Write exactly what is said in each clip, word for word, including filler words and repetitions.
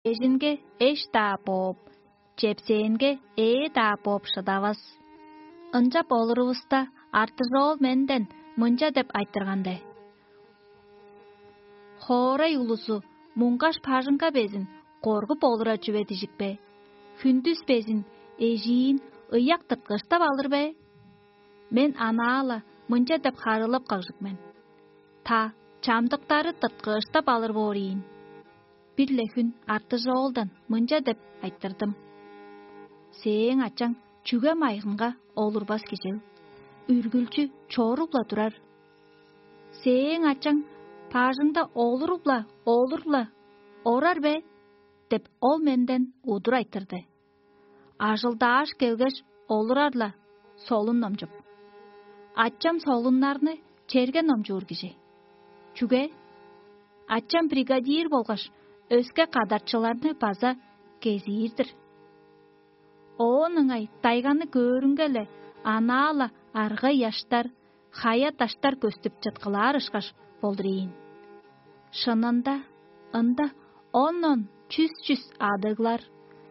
Эжинге эш-даа бооп, чепсээнге ээ-даа бооп шыдавас. Ынчап олурувуста, артыжоол менден мынча деп айтырган-даа: «Хоорай улузу муңгаш бажыңга безин коргуп олура чүве дижик бе? Хүндүс безин эжиин ыяк тырткыыштап алыр бе?» Мен анаа-ла мынча деп харыылап кагжыг мен: «Та, чамдыктары тырткыыштап алыр боор ийин». Бир-ле хүн артыжоолдан мынча деп айтырдым: «Сээң ачаң чүге майгынга олурбас кижил? Үргүлчү чоруп-ла турар. Сээң ачаң бажыңда олуруп-ла, олуруп-ла орар бе?» — деп, ол менден удур айтырды. Ажылдааш келгеш, олурар-ла солун номчуп. Ачам солуннарны черге номчуур кижи. Чүге? Ачам бригадир болгаш өске кадарчыларны база кезиир-дир. Оон ыңай дайганы көөрүнге-ле, анаа-ла аргай ыяштар, хая-даштар көстүп чыткылаар ышкаш болдур ийин. Шынында, ында он-он, чүс-чүс адыглар,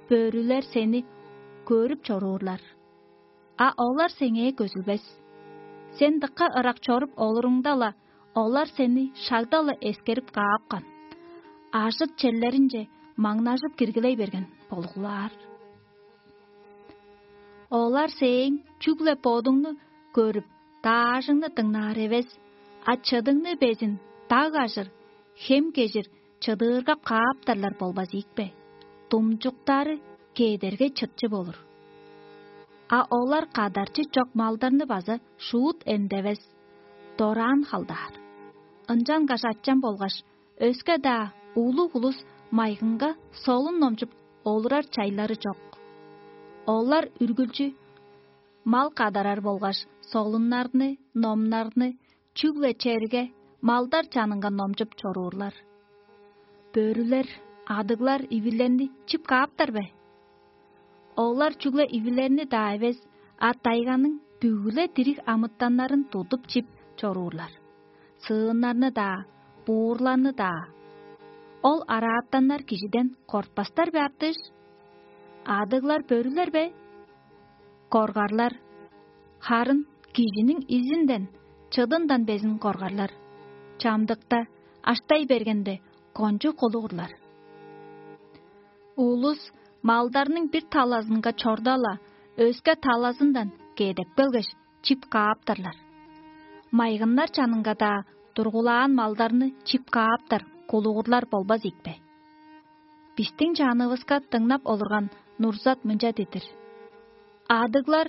бөрүлер сени көрүп чоруурлар. А олар сеңээ көзүлбес. Сен дыка ырак чоруп олуруңда-ла, олар сени шагда-ла эскерип каапкан, ажыт черлеринче маңнажып киргилей берген болгулаар. Олар сээң чүгле бодуңну көрүп, даажыңны дыңнаар эвес, а чыдыңны безин даг ажыр, хем кежир чыдыыргап кааптарлар болбас ийик бе? Думчуктары кедерге чытчы болур. А олар кадарчы чок малдарны база шуут эндевес, дораан халдаар. Ынчангаш ачам болгаш өске-даа улуг улус майгынга солун номчуп олурар чайлары чок. Олар үргүлчү мал кадарар болгаш солуннарны, номнарны, чүгле черге малдар чанынга номчуп чоруурлар. Бөрүлер, адыглар ивилерни чип кааптар бе? Олар чүгле ивилерни-даа эвес, а тайганың бүгү-ле дириг амытаннарын тудуп чип чоруурлар. Сыыннарны-даа, буурларны-даа. Ол араатаннар кижиден кортпастар бе, артыш? Адыглар бөрүлер бе? Коргарлар. Харын кижиниң изинден, чыдындан безин коргарлар. Чамдыкта, аштай бергенде, кончуг кулугурлар. Улус малдарның бир талазынга чорда-ла, өске талазындан кедеп келгеш, чип кааптарлар. Майгыннар чанынга-даа тургулаан малдарны чип кааптар кулугурлар болбас ийик бе? Бистиң чанывыска дыңнап олурган Нурзат мынча дидир: «Адыглар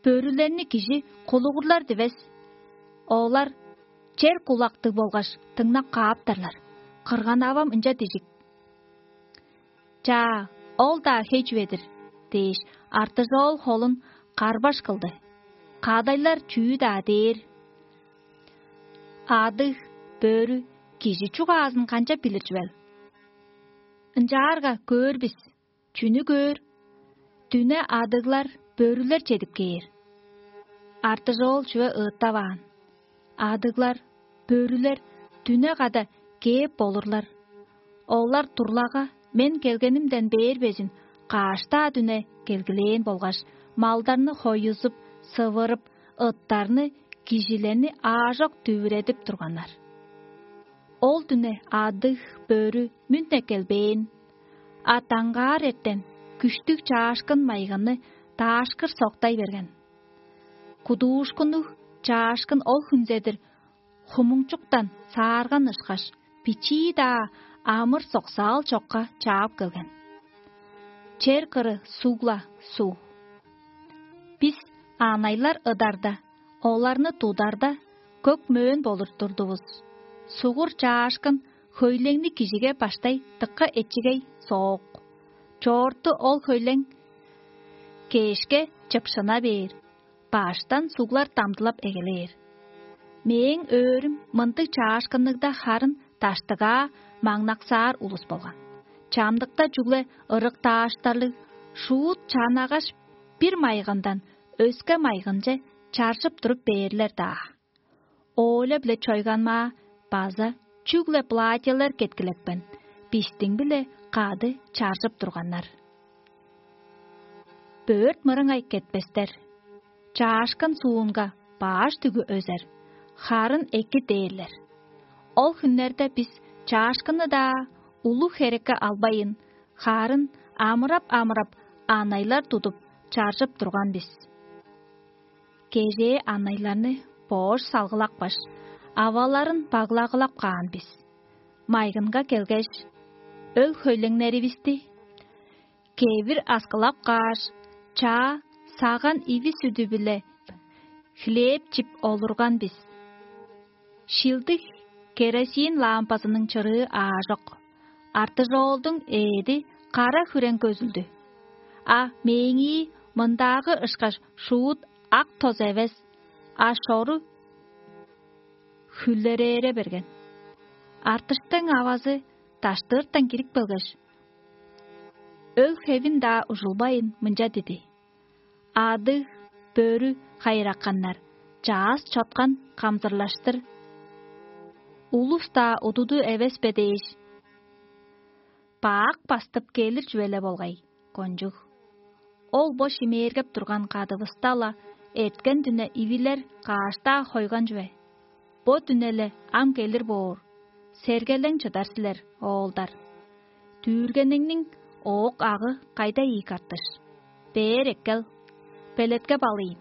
бөрүлерни кижи кулугурлар дивес. Олар чер кулактыг болгаш дыңнап кааптарлар. Кырган-авам ынча дижик». «Чаа, ол-даа хей чүве-дир» — дээш, артыжоол холун карбаш кылды. Кадайлар чүү-даа дээр. Адыг, бөрү кижи чугаазын канчап билир чүвел? Ынчаарга көөр бис. Чүнү көөр? Дүне адыглар, бөрүлер чедип кээр. Артыжоол чүве ыыттаваан. Адыглар, бөрүлер дүне када кээп болурлар. Олар турлага мен келгенимден бээр безин каш-даа дүне келгилээн болгаш, малдарны хоюзуп, сывырып, ыттарны, кижилерни аажок дүвүредип турганнар. Ол дүне адыг, бөрү мүн-не келбээн, а даңгаар эртен күштүг чаашкын майгыны даашкыр соктай берген. Кудуушкуннуг чаашкын ол хүнзедир хумуңчуктан саарган ышкаш, бичии-даа амыр-соксаал чокка чаап келген. Чер кыры суг-ла суг. Бис аанайлар ыдарда, оларны тударда, көк-мөөн болур турдувус. Сугур чаашкын хөйлеңни кижиге баштай дыка эчигей соок. Чоорту ол хөйлең кээшке чыпшына бээр, баштан суглар дамдылап эгелээр. Мээң өөрүм мындыг чаашкынныг-даа, харын даштыгаа маңнаксаар улус болган. Чамдыкта чүгле ырыктааштарлыг, шуут чанагаш, бир майгындан өске майгынче чаржып туруп бээрлер-даа. Оля-биле чойганмаа база чүгле платьелер кеткилекпен, бистиң-биле кады чаржып турганнар. Бөрт мырыңай кетпестер, чаашкын суунга баш дүгү өзер, харын эки дээрлер. Ол хүннерде бис чаашкынны-даа улуг херекке албайын, харын амырап-амырап, анайлар тудуп, чаржып турган бис. Кежээ анайларны боош салгылапкаш, аваларын баглагылап каан бис. Майгынга келгеш, өл-хөйлеңнеривисти кевир аскылап кааш, чаа саган иви сүдү-биле хлеб чип олурган бис. Шилдиг керосин лампазының чырыы аажок. Артыжоолдуң ээди кара хүрең көзүлдү. А мээңии мындаагы ышкаш шуут ак тоз эвес, а шору хүлерээре берген. Артыштың авазы даштыыртан кирип келгеш, өл-хевин-даа ужулбайн, мынча диди: «Адыг, бөрү хайыраканнар, чаас чоткан камзырлаштыр. Улус-даа удуду эвес бе дээш, баак бастып келир чүве-ле болгай, кончуг. Ол бо шимээргеп турган кадывыста-ла эрткен дүне ивилер кааш-даа хойган чүве. Бо дүне-ле ам келир боор, сергелең чыдар силер, оолдар. Дүүргениңниң оок-агы кайда ийик, Артыш? Бээр эккел, белеткеп алыйн».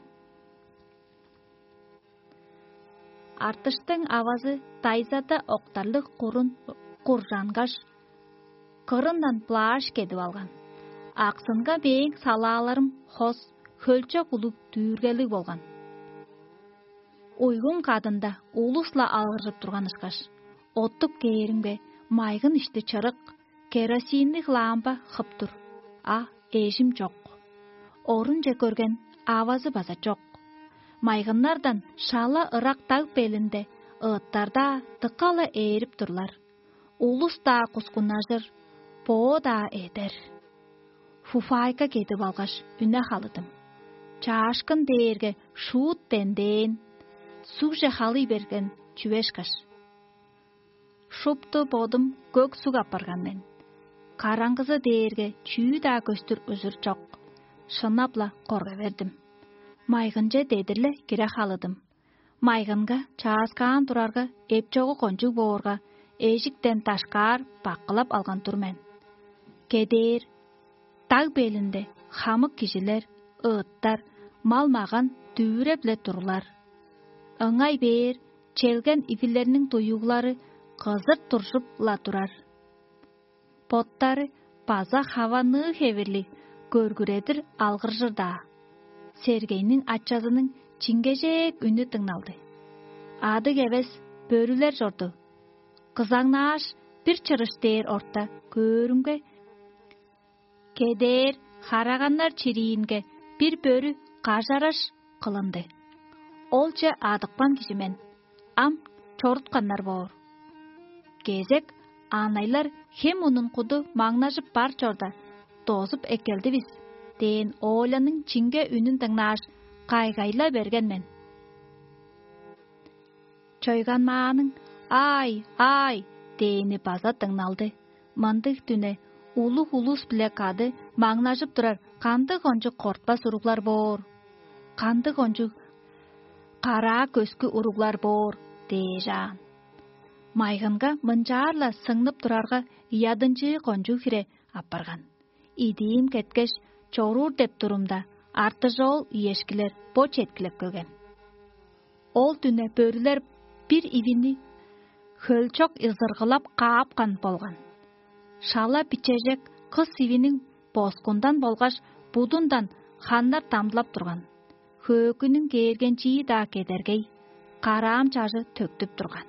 Артыштың авазы дайзада октарлыг курун куржангаш, кырындан плаш кедип алган. Аксынга мээң салааларым хос, хөлчок улуг дүүргелиг болган. Уйгум кадында улус-ла алгыржып турган ышкаш, оттуп кээримге, майгын ишти чырык, керосинниг лампа хып тур, а эжим чок. Орунче көрген авазы база чок. Майгыннардан шала ырак даг белинде ыыттар-даа дыка-ла ээрип турлар. Улус-даа кускуннажыр, боо-даа эдер. Фуфайка кедип алгаш, үне халыдым. Чаашкын дээрге шуут бендээн, сугже халый берген чүве ышкаш. Шупту бодум көк суг апарган мен. Караңгызы дээрге чүү-даа көстүр ужур чок. Шынап-ла корга бердим. Майгынче дедир-ле кире халыдым. Майгынга чааскаан турарга, эпчогу кончуг боорга, эжиктен дашкаар баккылап алган тур мен. Кедээр, даг белинде хамык кижилер, ыыттар, мал-маган дүвүреп-ле турлар. Ыңай бээр челген ивилерниң дуюглары кызырт туржуп-ла турар. Боттары база хаванныы хевирлиг көргүредир алгыржыр-даа. Сергейниң ачазының чиңгежээк үнү дыңналды. Адыг эвес бөрүлер чорду. Кызаңнааш, бир чырыш дээр орта көөрүмге, кедээр хараганнар чириинге бир бөрү кажараш кылынды. Олче адыпкан кижи мен, ам чорутканнар боор. Кезек аанайлар хем унун куду маңнажып бар чорда, дозуп эккелдивис дээн Оляның чиңге үнүн дыңнааш, кайгайла берген мен. Чойганмааның «Аай, аай!» дээни база дыңналды. Мындыг дүне улуг улус-биле кады маңнажып турар кандыг кончуг кортпас уруглар боор, кандыг кончуг караа көскү уруглар боор дээш аан. Майгынга мынчаар-ла сыңнып турарга, ядынчыы кончуг хире апарган. Идиим кеткеш, чоруур деп турумда, артыжоол иешкилер бо четкилеп келген. Ол дүне бөрүлер бир ивини хөлчок ызыргылап каапкан болган. Шала бичежек кыс ивиниң боскундан болгаш будундан ханнар дамдылап турган. Хөөкүнүң кээргенчии-даа кедергей, караам чажы төктүп турган.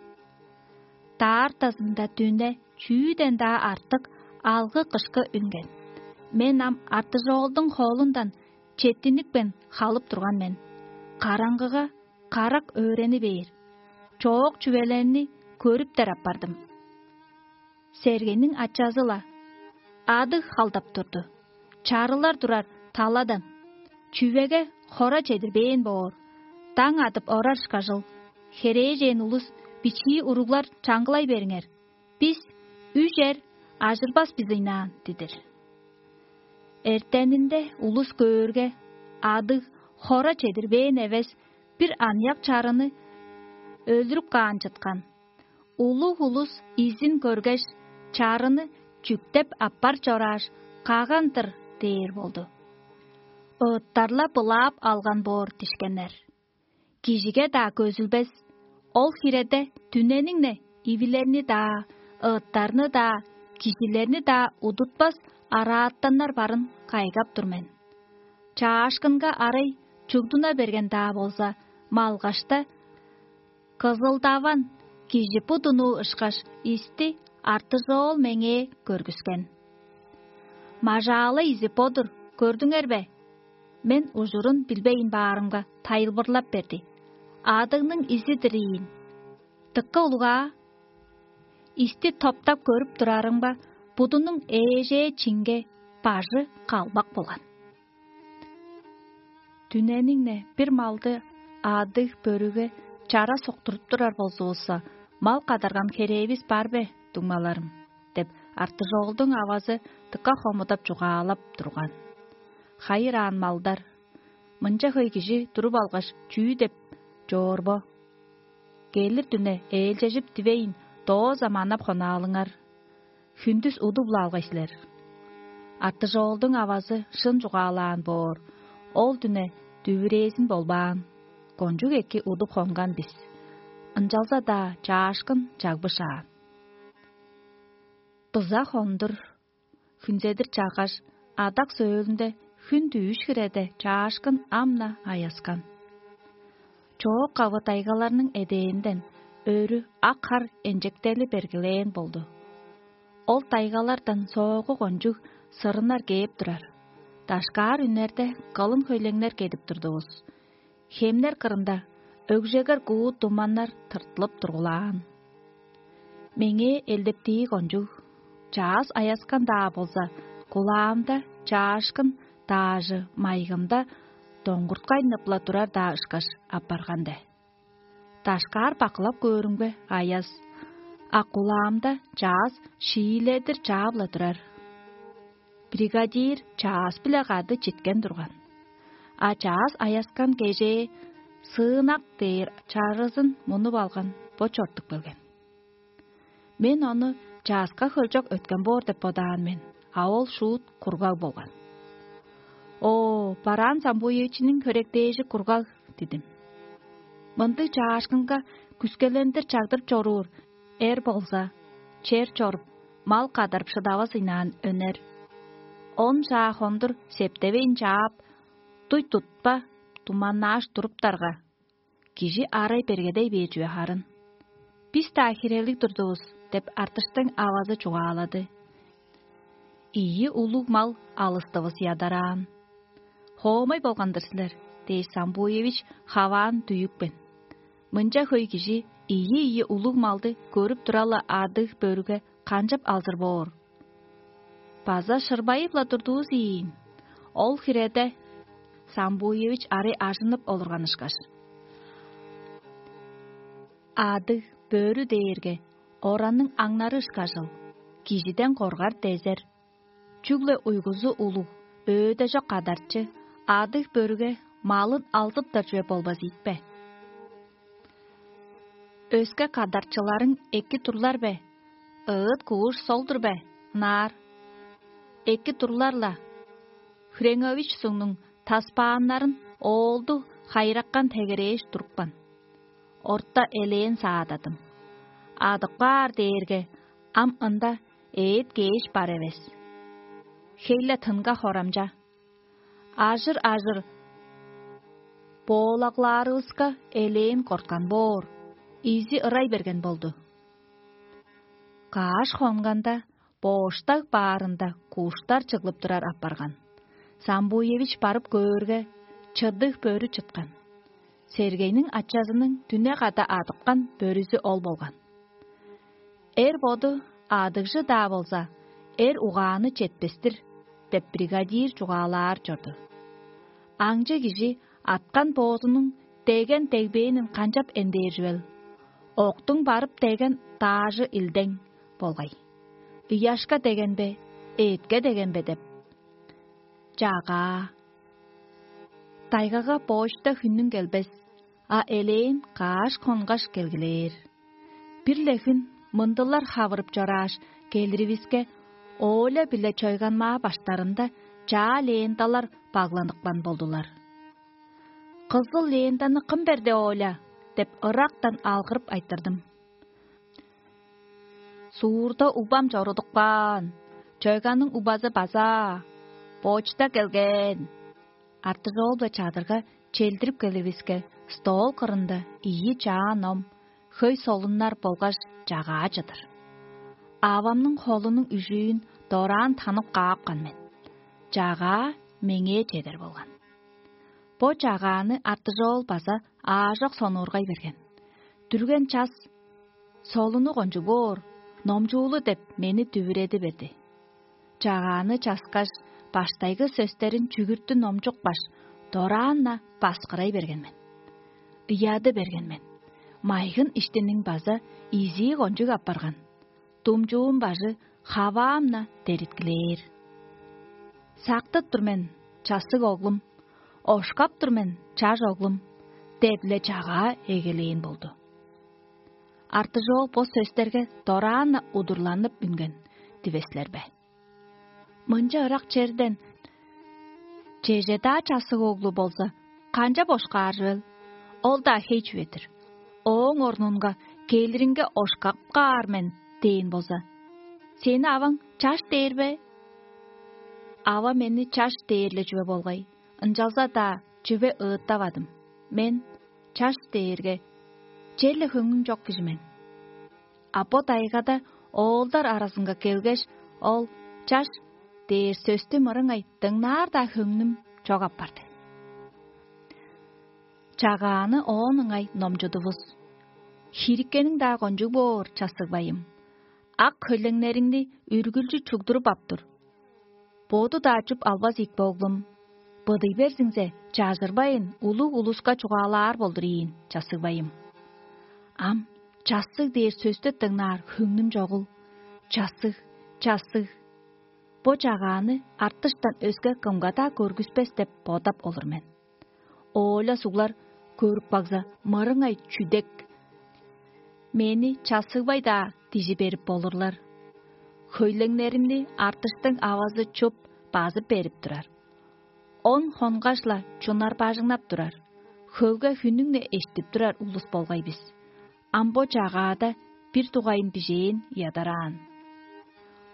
Даартазында дүне чүүден-даа артык алгы-кышкы үнген. Мен ам артыжоолдуң холундан четтиникпен халып турган мен. Караңгыга карак өөрени бээр, чоок чүвелерни көрүптер апардым. Сергениң ачазы-ла адыг халдап турду. Чарылар турар таладан чүвеге хора чедирбээн боор. Даң адып орар ышкажыл, херээжен улус бичии уруглар чаңгылай бериңер. Бис үжер ажырбас бис ыйнаан дидир. Эртенинде улус көөрге, адыг хора чедирбээн эвес, бир аныяк чарыны өлүрүп каан чыткан. Улуг улус изин көргеш, чарыны чүктеп аппар чорааш, каган-дыр дээр болду. Ыыттарла былаап алган боор дишкеннер. Кижиге-даа көзүлбес, ол хиреде дүнениң-не ивилерни-даа, ыыттарны-даа, кижилерни-даа удутпас арааттаннар барын кайгап тур мен. Чаашкынга арай чугдуна берген-даа болза, малгашта кызылдаван кижи будунуу ышкаш исти артыжоол меңээ көргүскен. Мажаалы изи бо-дур, көрдүңер бе? Мен ужурун билбейн баарымга, тайылбырлап берди: «Адыгның изи-дир ийин». Дыка улугаа, исти топтап көрүп турарымга, будунуң ээжээ чинге бажы калбак болган. Дүнениң-не бир малды адыг бөрүге чара соктуруп турар болзувусса, мал кадарган херээвис бар бе, дуңмаларым? — деп, артыжоолдуң авазы дыка хомудап чугаалап турган. Хайыр аан малдар, мынча хөй кижи туруп алгаш, чүү деп чоор бо? Келир дүне ээлчежип дивейн, дооза манап хонаалыңар. Хүндүс удуп-ла алгай силер. Артыжоолдуң авазы шын чугаалаан боор, ол дүне дүвүрээзин болбаан. Кончуг эки удуп хонган бис. Ынчалза-даа чаашкын чагбышаан. Быза хондур, хүнзедир чаггаш, адак сөөлүнде хүн дүүш хиреде чаашкын ам-на аяскан. Чоок-кавы тайгаларның эдээнден өрү ак хар энчектели бергилээн болду. Ол тайгалардан соогу кончуг сырыннар кээп турар. Дашкаар үннерде кылын хөйлеңнер кедип турдувус. Хемнер кырында өгжегер куу туманнар тыртылып тургулаан. Меңээ элдептии кончуг, чаъс аяскан-даа болза, кулаамда чаашкын даажы майгымда доңгурткай ныпла турар-даа ышкаш апарган-де. Дашкаар бакылап көөрүмге, аяс, а кулаамда чаас шииледир чаап-ла турар. Бригадир чаас-биле кады читкен турган. А чаас аяскан кежээ сыынак дээр чарызын мунуп алган бо чортуп келген. Мен ону чааска хөлчок өткен боор деп бодаан мен, а ол шуут кургаг болган. Оо, бараан Самбуевичиниң хөректээжи кургаг, дидим. Мындыг чаашкынга күскелендир чагдырып чоруур эр болза, чер чоруп, мал кадарып шыдавас ыйнаан өнер. Он чаа хондур септевейн чаап, дуй тутпа, туманнааш туруптарга, кижи арай бергедей бээр чүве харын. Бис-даа хирелиг турдувус, деп артыштың авазы чугаалады. Ийи улуг мал алыстывыс ядараан. Хоомай болган-дыр силер, дээш, Самбуевич хаваан дүйүпкен. Мынча хөй кижи ийи-ийи улуг малды көрүп тура-ла, адыг бөрүге канчап алзыр боор? База шырбайып-ла турдувус ийин. Ол хиреде Самбуевич арай ажынып олурган ышкаш. Адыг бөрү дээрге оранның аңнары ышкажыл, кижиден коргар дезер. Чүгле уйгузу улуг, өөде чок кадарчы, адыг бөрүге малын алзыптар чүве болбас ийикпе? Өске кадарчыларың эки турлар бе? Ыыт кууш сол-дур бе? Ынаар. Эки турлар-ла. Хренгович сугнуң таспааннарын оолду хайыраккан тегерээш турупкан. Орта элээн саададым. Адып каар дээрге, ам ында эът кээш бар эвес. Хей-ле тынга хорамча. Ажыр-ажыр боолаглаарывыска элээн корткан боор, изи ырай берген болду. Кааш хонганда, бооштаг баарында куштар чыглып турар апарган. Самбуевич барып көөрге, чыдыг бөрү чыткан. Сергейниң ачазының дүне када адыпкан бөрүзү ол болган. Эр боду адыгжы-даа болза, эр угааны четпес-тир деп, бригадир чугаалаар чорду. Аңчы кижи аткан боозунуң деген-дегбээнин канчап эндээр чүвел? Октуң барып деген даажы илдең болгай. ыяшка деген бе, эътке деген бе деп. Чагаа. Тайгага боочта хүннүң келбес, а элээн кааш-хонгаш келгилээр. Бир-ле хүн мындылар хавырып чорааш, келиривиске, Оля биле чойганмаа баштарында чаа ленталар багланыкпан болдулар. «Кызыл лентаны кым берди, Оля?» — деп ырактан алгырып айтырдым. «Суурда убам чорудуп каан, чойганның убазы база, почта келген». Артыжоол-биле чадырга челдирип келивиске, стол кырында ийи чаа ном, хөй солуннар болгаш чагаа чыдыр. Авамның холунуң үжүүн дораан танып каапкан мен. Чагаа меңээ чедер болган. Бо чагааны Артыжоол база аажок сонуургай берген. Дүрген час: «Солуну кончуг боор, номчуулу» — деп, мени дүвүреди берди. Чагааны часкаш, баштайгы сөстерин чүгүртү номчукпаш, дораан-на баскырай берген мен. Ыяды берген мен. Майгын иштиниң база изии кончуг апарган. Думчуум бажы хаваам-на дериткилээр. «Сактып тур мен, чассыг оглум, ошкап тур мен, чаш оглум» — деп-ле чагаа эгелээн болду. Артыжоол бо сөстерге дораан-на удурланып үнген дивес силер бе? Мынча ырак черден чеже-даа чассыг оглу болза, канчап ошкаар чүвел? Ол-даа хей чүве-дир. Ооң орнунга: «Келиринге ошкап каар мен» — дээн болза, сени аваң чаш дээр бе? Ава мени чаш дээр-ле чүве болгай, ынчалза-даа чүве ыыттавадым. Мен чаш дээрге черле хөңнүм чок кижи мен. А бо тайгада оолдар аразынга келгеш, ол «чаш» дээр сөстү мырыңай дыңнаар-даа хөңнүм чок апарды. Чагааны оон ыңай номчудувус. «Хириккениң-даа кончуг боор, чассыгбайым. Ак хөйлеңнериңни үргүлчү чугдуруп ап тур. Боду-даа чуп албас ийик бе, оглум? Быдый берзиңзе, чажырбайн, улуг улуска чугаалаар болдур ийин, чассыгбайым». Ам «чассыг» дээр сөстү дыңнаар хөңнүм чогул. Чассыг, чассыг. Бо чагааны артыштан өске кымга-даа көргүспес деп бодап олур мен. Оля суглар көрүп кагза, мырыңай чүдек. Мени чассыгбай-даа дижи берип болурлар. Хөйлеңнеримни артыштың авазы чуп, базып берип турар. Он хонгаш-ла чунар бажыңнап турар, хөвге хүннүң-не эштип турар улус болгай бис. Ам бо чагаада бир дугайын бижээн ядараан.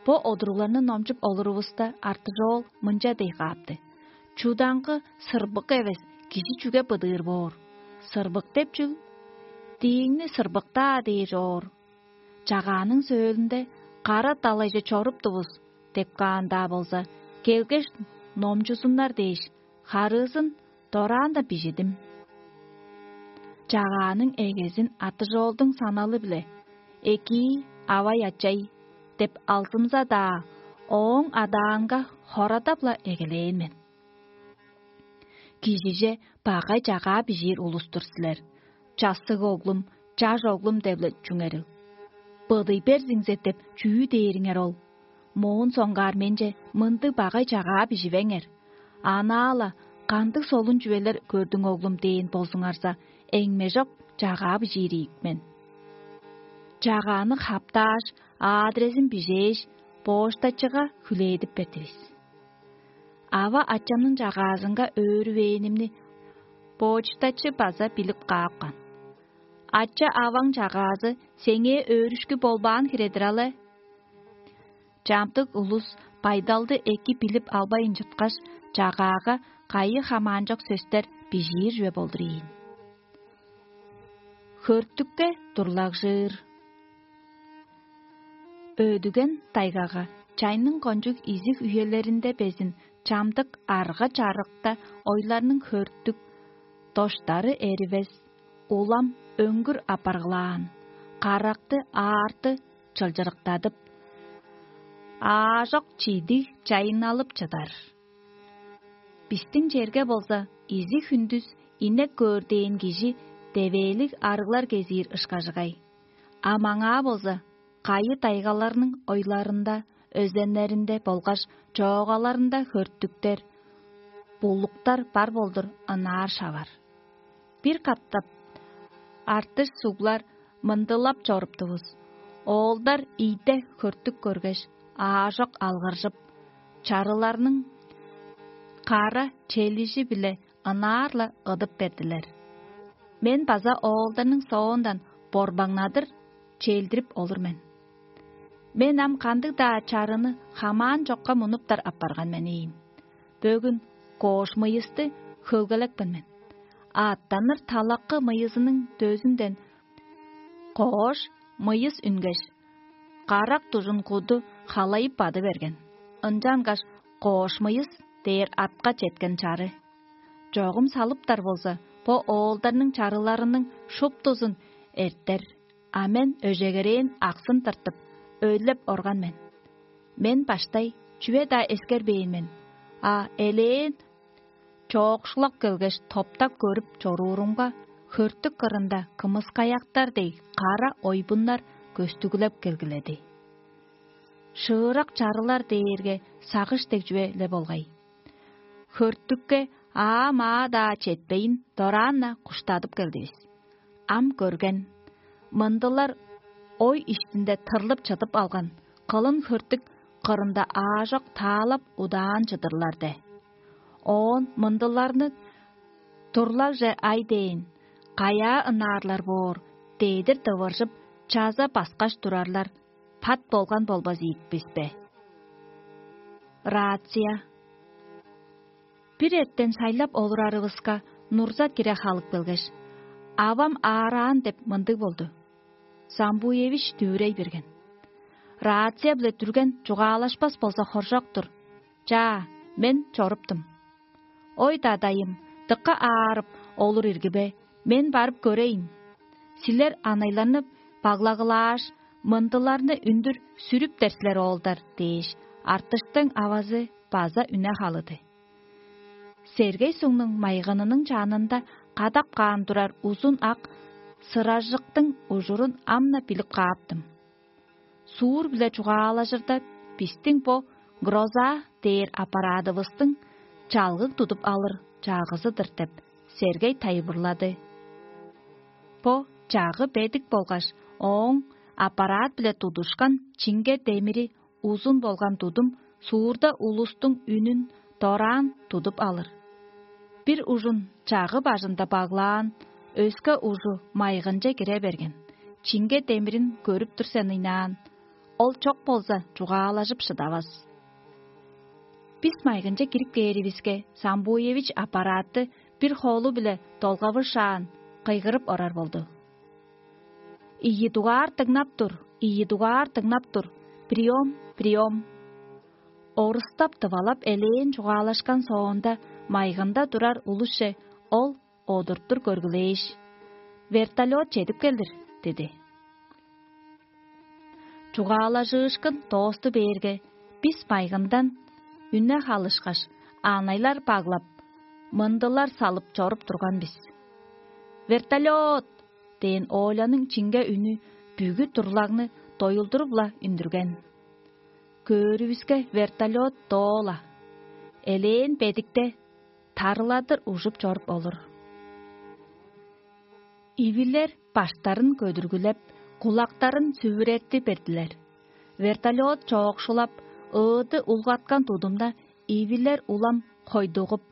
Бо одуругларны номчуп олурувуста, Артыжоол мынча дей каапты: «Чудаңгы сырбык эвес кижи чүге быдыыр боор? Сырбык деп чүл? Дииңни сырбыктаа дээр чоор. Чагааның сөөлүнде кара далайже чоруптувус деп каан-даа болза, келгеш, номчузуннар дээш, харыызын дораан-даа бижидим». Чагааның эгезин Артыжоолдуң саналы-биле: «Экии, авай-ачай» — деп алзымза-даа, ооң адаанга хорадап-ла эгелээн мен. Кижиже багай чагаа бижиир улус-тур силер. «Чассыг оглум, чаш оглум» деп-ле чүңерил. «Быдый берзиңзе» деп чүү дээриңер ол? Моон соңгаар менче мындыг багай чагаа биживеңер. Анаа-ла: «Кандыг солун чүвелер көрдүң, оглум?» — дээн болзуңарза, эңмежок чагаа бижиир ийик мен. Чагааны хаптааш, адрезин бижээш, почтачыга хүлээдип бердивис. Ава-ачамның чагаазынга өөрүвээнимни почтачы база билип каапкан. «Ача-аваң чагаазы сеңээ өөрүшкү болбаан хире-дир але». Чамдык улус байдалды эки билип албайн чыткаш, чагаага кайы хамаанчок сөстер бижиир чүве болдур ийин. Хөртүкке дурлагжыр. Өдүген тайгага чайның кончуг изиг үелеринде безин чамдык арга-чарыкта ойларның хөртүк, доштары эривес, улам өңгүр апаргылаан, каракты аарты чылчырыктадып, аажок чидиг чайынналып чыдар. Бистиң черге болза, изиг хүндүс инек көөр дээн кижи девээлиг арыглар кезиир ышкажыгай. А маңаа болза, кайы-тайгаларның ойларында, өзеннеринде болгаш чоогаларында хөрттүктер, булуктар бар болдур ынаар шавар. Бир катап артыш суглар мындылап чоруптувус. Оолдар ийде хөртүк көргеш, аажок алгыржып, чарыларның кара челижи-биле ынаар-ла ыдып бердилер. Мен база оолдарның соондан борбаңнадыр челдирип олур мен. Мен ам кандыг-даа чарыны хамаан чокка мунуптар апарган мен ийин. Бөгүн коош мыйысты хөлгелекпен мен. Аъттаныр талакы мыйызының дөзүнден коош мыйыс үнгеш, карак дужун куду халайып бады берген. Ынчангаш коош мыйыс дээр атка четкен чары. Чогум салыптар болза, бо оолдарның чарыларының шуптузун эртер, а мен өжегерээн аксын тыртып, өйлеп орган мен. Мен баштай чүве-даа эскербээн мен, а элээн чоокшулап келгеш, топтап көрүп чоруурумга, хөртүк кырында кымыскаяктар дег кара ойбуннар көстүглеп келгиледи. Шыырак чарылар дээрге сагыш дег чүве-ле болгай. Хөртүкке аа-маа-даа четпейн, дораан-на куштадып келдивис. Ам көрген, мындылар ой иштинде тырлып чыдып алган кылын хөртүк кырында аажок таалап удаан чыдырлар де. Оон мындыларны турлагже ай дээн, каяа ынаарлар боор, дедир дывыржып, чаза баскаш турарлар, пат болган болбас ийик бис бе? Рация. Бир эртен шайлап олурарывыска, нурза кире халып келгеш, авам аараан деп мындыг болду. Самбуевич дүвүрей берген. Рация-биле дүрген чугаалашпас болза хоржок-тур. Чаа, мен чоруптум. Ой, дадайым, дыка аарып олур иргибе, мен барып көрейн. Силер анайларны баглагылааш, мындыларны үндүр сүрүптер силер оолдар дээш, артыштың авазы база үне халыды. Сергей сугнуң майгынының чанында кадап каан турар узун ак сыражыктың ужурун ам-на билип кааптым. Суур-биле чугаалажырда, бистиң бо гроза дээр аппарадывыстың чалгыг тудуп алыр чагызы-дыр деп, Сергей тайылбырлады. Бо чагы бедик болгаш, ооң аппарат-биле тудушкан чиңге демири узун болган тудум суурда улустуң үнүн дораан тудуп алыр. Бир ужун чагы бажында баглаан, өске ужу майгынче кире берген. Чиңге демирин көрүп тур сен ыйнаан, ол чок болза, чугаалажып шыдавас. Бис майгынче кирип кээривиске, Самбуевич аппаратты бир холу-биле долгавышаан, кыйгырып орар болду. «Ийи дугаар дыңнап тур, ийи дугаар дыңнап тур, приём, приём». Орустап-дывалап элээн чугаалашкан соонда, майгында турар улусче ол одуртур көргүлээш: «Вертолёт чедип келдир» – диди. Чугаалажыышкын доосту бээрге, бис майгындан үне халышкаш, аанайлар баглап, мындылар салып чоруп турган бис. «Вертолёт!» – дээн Оляның чиңге үнү бүгү турлагны доюлдуруп-ла үндүрген. Көөрүвүске, вертолёт доо-ла, элээн бедикте тарыладыр ужуп чоруп олур. Ивилер баштарын көдүргүлеп, кулактарын сүвүрерти бердилер. Вертолёт чоокшулап, ыыды улгаткан тудумда, ивилер улам хойдугуп,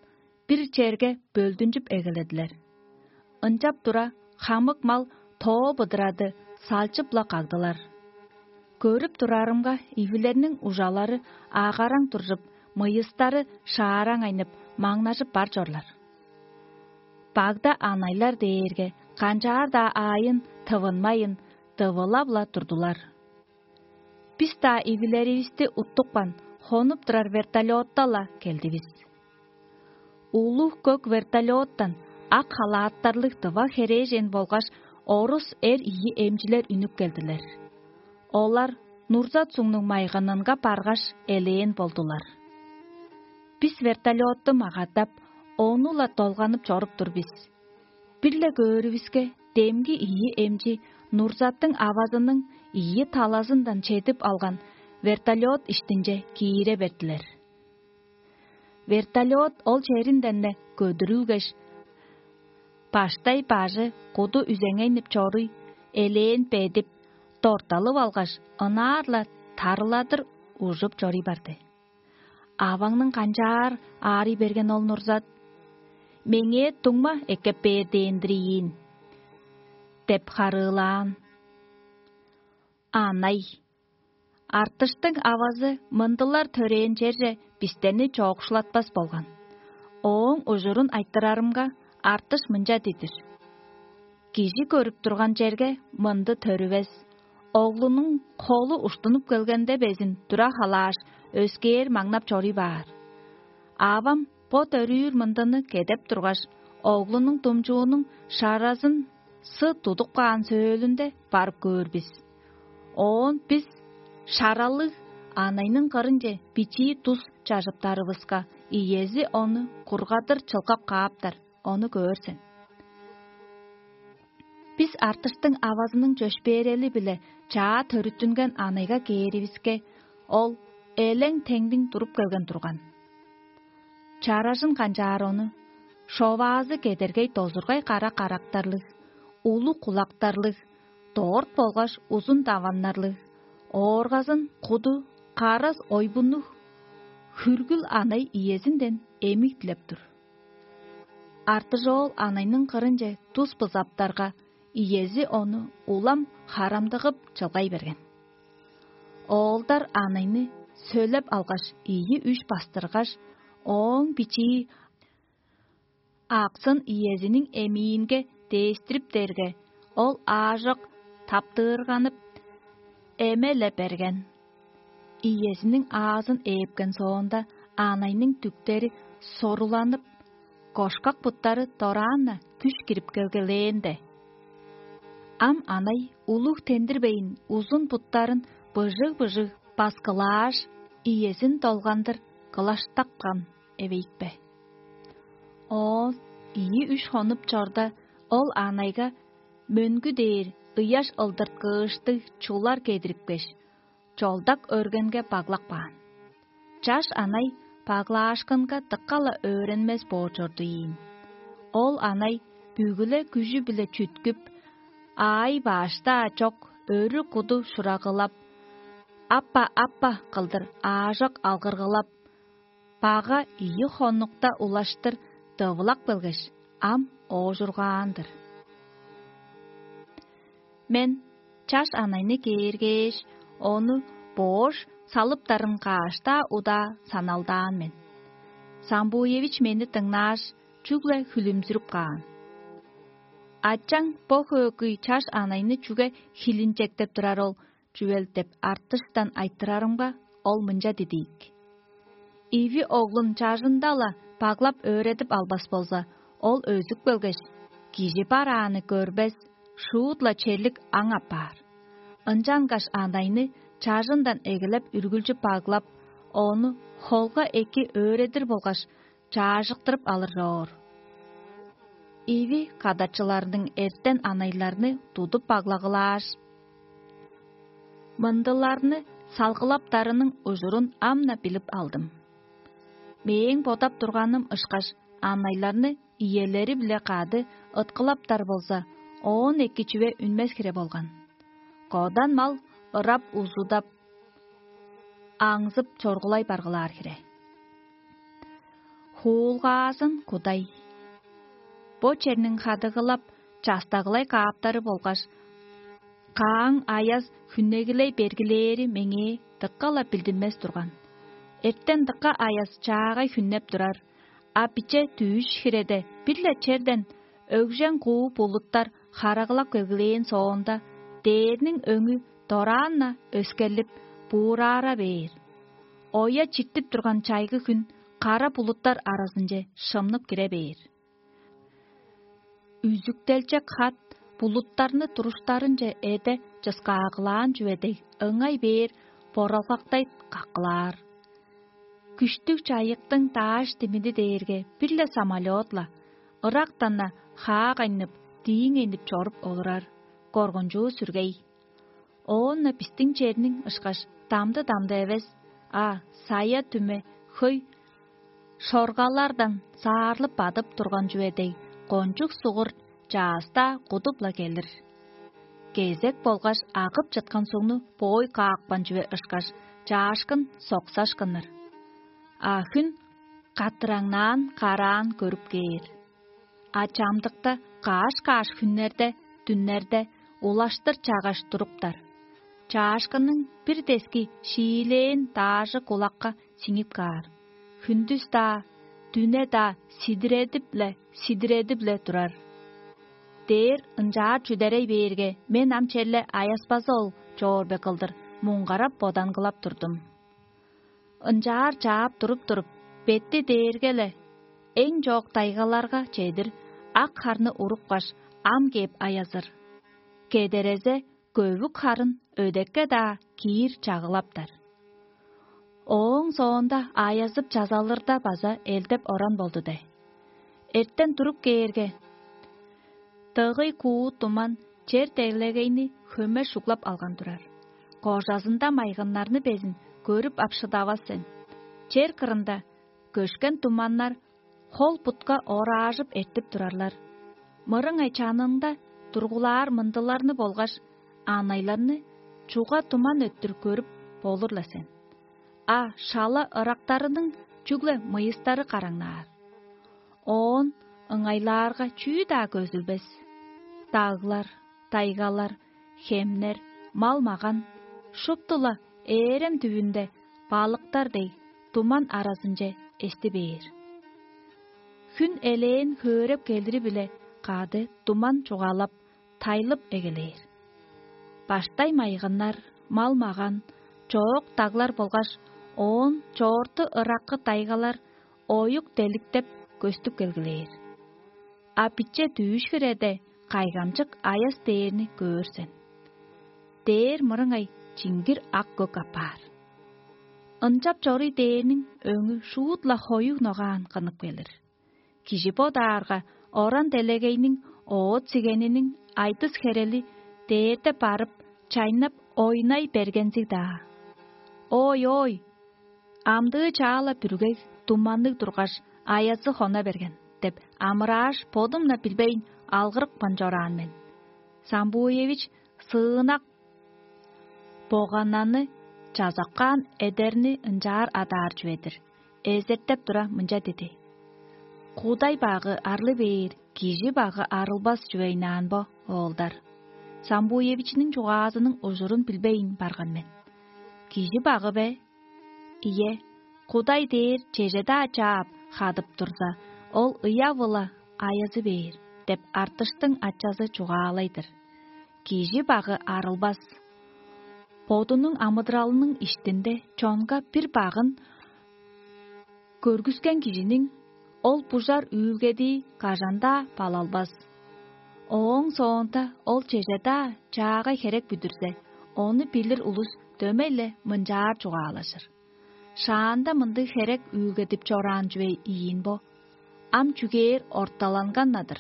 бир черге бөлдүнчүп эгеледилер. Ынчап тура, хамык мал тоо быдырады салчып-ла кагдылар. Көрүп турарымга, ивилерниң ужалары агараң туржуп, мыйыстары шаараң айнып, маңнажып бар чорлар. Багда анайлар дээрге канчаар-даа аайын тывынмайын, дывылап-ла турдулар. Бис-даа ивилеривисти уттупкан, хонуп турар вертолётта-ла келдивис. Улуг көк вертолёттан ак халааттарлыг тыва херээжен болгаш орус эр ийи эмчилер үнүп келдилер. Олар Нурзат сугнуң майгынынга баргаш, элээн болдулар. Бис вертолётту магадап, ону-ла долганып чоруп тур бис. Бир-ле көөрүвүске, демги ийи эмчи Нурзаттың авазының ийи талазындан чедип алган вертолет иштинче киире бердилер. Вертолет ол черинден-не көдүрүлгеш, баштай бажы куду үзеңейнип чоруй, элээн бедип, дорталып алгаш, ынаар-ла тарыладыр ужуп чоруй барды. «Аваңның канчаар аарый берген ол, Нурзат? Меңээ дуңма эккеп бээр дээн-дир ийин» — деп харыылаан. Анай. Артыштың авазы мындылар төрээн черже бистерни чоокшулатпас болган. Ооң ужурун айтырарымга, Артыш мынча дидир: «Кижи көрүп турган черге мынды төрүвес. Оглунуң холу уштунуп келгенде безин тура халааш, өскээр маңнап чоруй баар. Авам бо төрүүр мындыны кедеп тургаш, оглунуң думчуунуң шаразын сы тудуп каан сөөлүнде барып көөр бис. Оон бис шаралыг анайның кырынче бичии тус чажыптарывыска, иези ону кургадыр чылгап кааптар, ону көөр сен». Бис Артыштың авазының чөпшээрели-биле чаа төрүттүнген анайга кээривиске, ол элең-теңдиң туруп келген турган. Чаражын канчаар ону, шоваазы кедергей дозургай кара карактарлыг, улуг кулактарлыг, дорт болгаш узун даваннарлыг, ооргазын куду карас ойбуннуг, хүргүл анай иезинден эмиг дилеп тур. Артыжоол анайның кырынче тус бызаптарга, иези ону улам харамдыгып чылгай берген. Оолдар анайны сөлеп алгаш, ийи-үш бастыргаш, ооң бичии аксын иезиниң эмиинге дээстирип дээрге, ол аажок таптыырганып, эме-ле берген. Иезиниң аазын ээпкен соонда, анайның дүктери соруланып, кошкак буттары дораан-на күш кирип келгелээнде. Ам анай улуг тендирбейн, узун буттарын быжыг-быжыг баскылааш, иезин долгандыр кылаштапкан эвейикпе. Оон ийи-үш хонуп чорда, ол анайга мөңгү дээр ыяш ылдырткыыштыг чулар кедирипкеш, чолдак өргенге баглап каан. Чаш анай баглаашкынга дыка-ла өөренмес боор чорду ийин. Ол анай бүгү-ле күжү-биле чүткүп, аай-баш-даа чок, өрү-куду шурагылап, «Аппа, аппа» кылдыр аажок алгыргылап, бага ийи хонукта улаштыр дывылап келгеш, ам оожургаан-дыр. Мен чаш анайны кээргээш, ону боош салыптарын каш-даа удаа саналдаан мен. Самбуевич мени дыңнааш, чүгле хүлүмзүрүп каан. «Ачаң бо хөөгүй чаш анайны чүге хилинчектеп турар ол чүвел?» — деп Артыштан айтырарымга, ол мынча дидиик: «Иви оглун чажында-ла баглап өөредип албас болза, ол өзүп келгеш, кижи барааны көрбес, шуут-ла черлик аң апаар. Ынчангаш анайны чажындан эгелеп үргүлчү баглап, ону холга эки өөредир болгаш, чаажыктырып алыр чоор». Иви кадарчыларының эртен анайларны тудуп баглагылааш, мындыларны салгылаптарының ужурун ам-на билип алдым. Мээң бодап турганым ышкаш, анайларны иелери-биле кады ыткылаптар болза, оон эки чүве үнмес хире болган. Кодан мал ырап-узудап, аңзып чоргулай баргылаар хире. Хуулгаазын кудай. Бо черниң хадыгылап, частагылай кааптары болгаш, кааң аяс хүннегилей бергилээри меңээ дыка-ла билдинмес турган. Эртен дыка аяс чаагай хүннеп турар, а биче дүъш хиреде бир-ле черден өгжең куу булуттар харагалап келгилээн соонда, дээрниң өңү дораан-на өскерлип, буураара бээр. Оя чиктип турган чайгы хүн кара булуттар аразынче шымнып кире бээр. Үзүктелчек хат булуттарны туруштарынче эде чыскааглаан чүве дег, ыңай бээр боралгактай каккылаар. Күштүг чайыктың дааш димиди дээрге бир-ле самолёт-ла, ырактан-на хаак айнып, дииң энип чоруп олурар, коргунчуу сүргей. Оон-на бистиң черниң ышкаш дамды-дамды эвес, а сая-түме хөй шоргалардан саарлып бадып турган чүве дег, кончуг сугур чаъс-даа кудуп-ла келир. Кезек болгаш агып чыткан сугну боой каапкан чүве ышкаш, чаашкын соксашкыннар. А хүн каттыраңнаан караан көрүп кээр. А чамдыкта каш-каш хүннерде, дүннерде улаштыр чагаш туруптар. Чаашкынның бир дески шиилээн даажы кулакка сиңип каар. Хүндүс-даа, дүне-даа сидиредип-ле, сидиредип-ле турар. Дээр ынчаар чүдерей бээрге, мен ам черле аяспазы ол чоор бе кылдыр муңгарап бодангылап турдум. Ынчаар чаап туруп-туруп, бетти дээрге-ле эң чоок тайгаларга чедир ак харны урупкаш, ам кээп аязыр. Кедерезе көвүк харын өдекке-даа киир чагылаптар. Ооң соонда аязып чазалырда база элдеп оран болду де. Эртен туруп кээрге, дыгый куу туман чер делегейни хөме шуглап алган турар. Кожазында майгыннарны безин көрүп ап шыдавас сен. Чер кырында көшкен туманнар хол-бутка ораажып эртип турарлар. Мырыңай чанында тургулаар мындыларны болгаш анайларны чуга туман өттүр көрүп болур-ла сен. А шала ырактарының чүгле мыйыстары караңнаар. Оон ыңайлаарга чүү-даа көзүлбес. Даглар, тайгалар, хемнер, мал-маган шупту-ла ээрем дүвүнде балыктар дег туман аразынче эсти бээр. Хүн элээн хөөреп келири-биле кады туман чугаалап, тайлып эгелээр. Баштай майгыннар, мал-маган, чоок даглар болгаш оон чоорту ыраккы тайгалар оюк деликтеп көстүп келгилээр. А биче дүүш хиреде кайгамчык аяс дээрни көөр сен. Дээр мырыңай чиңгир ак көк апаар. Ынчап чоруй дээрниң өңү шуут-ла хоюг ногаан кынып келир. Кижи бодаарга, оран делегейниң оът-сигениниң айдыс-херели дээрде барып, чайнап ойнай бергензиг-даа. Ой-ой, амдыы чаала бүргей, туманныг тургаш, аязы хона берген деп амырааш, бодум-на билбейн алгырыпкан чораан мен. Самбуевич сыынак боганнаны чазапкаан эдерни ынчаар адаар чүве-дир. Эзертеп тура мынча диди: «Кудай багы арлы бээр, кижи багы арылбас чүвейнаан бо, оолдар». Самбуевичиниң чугаазының ужурун билбейн барган мен. «Кижи багы бе? Ийе, Кудай дээр чеже-даа чаап, хадып турза, ол ыяв-ла аязы бээр» – деп артыштың ачазы чугаалай-дыр. Кижи багы арылбас. Бодунуң амыдыралының иштинде чонга бир багын көргүскен кижиниң ол бужар үүлгедии кажан-даа балалбас. Ооң соонда ол чеже-даа чаагай херек бүдүрзе, ону билир улус дөмей-ле мынчаар чугаалажыр: «Шаанда мындыг херек үүлгедип чораан чүве ийин бо, ам чүгээр орталанган-на-дыр».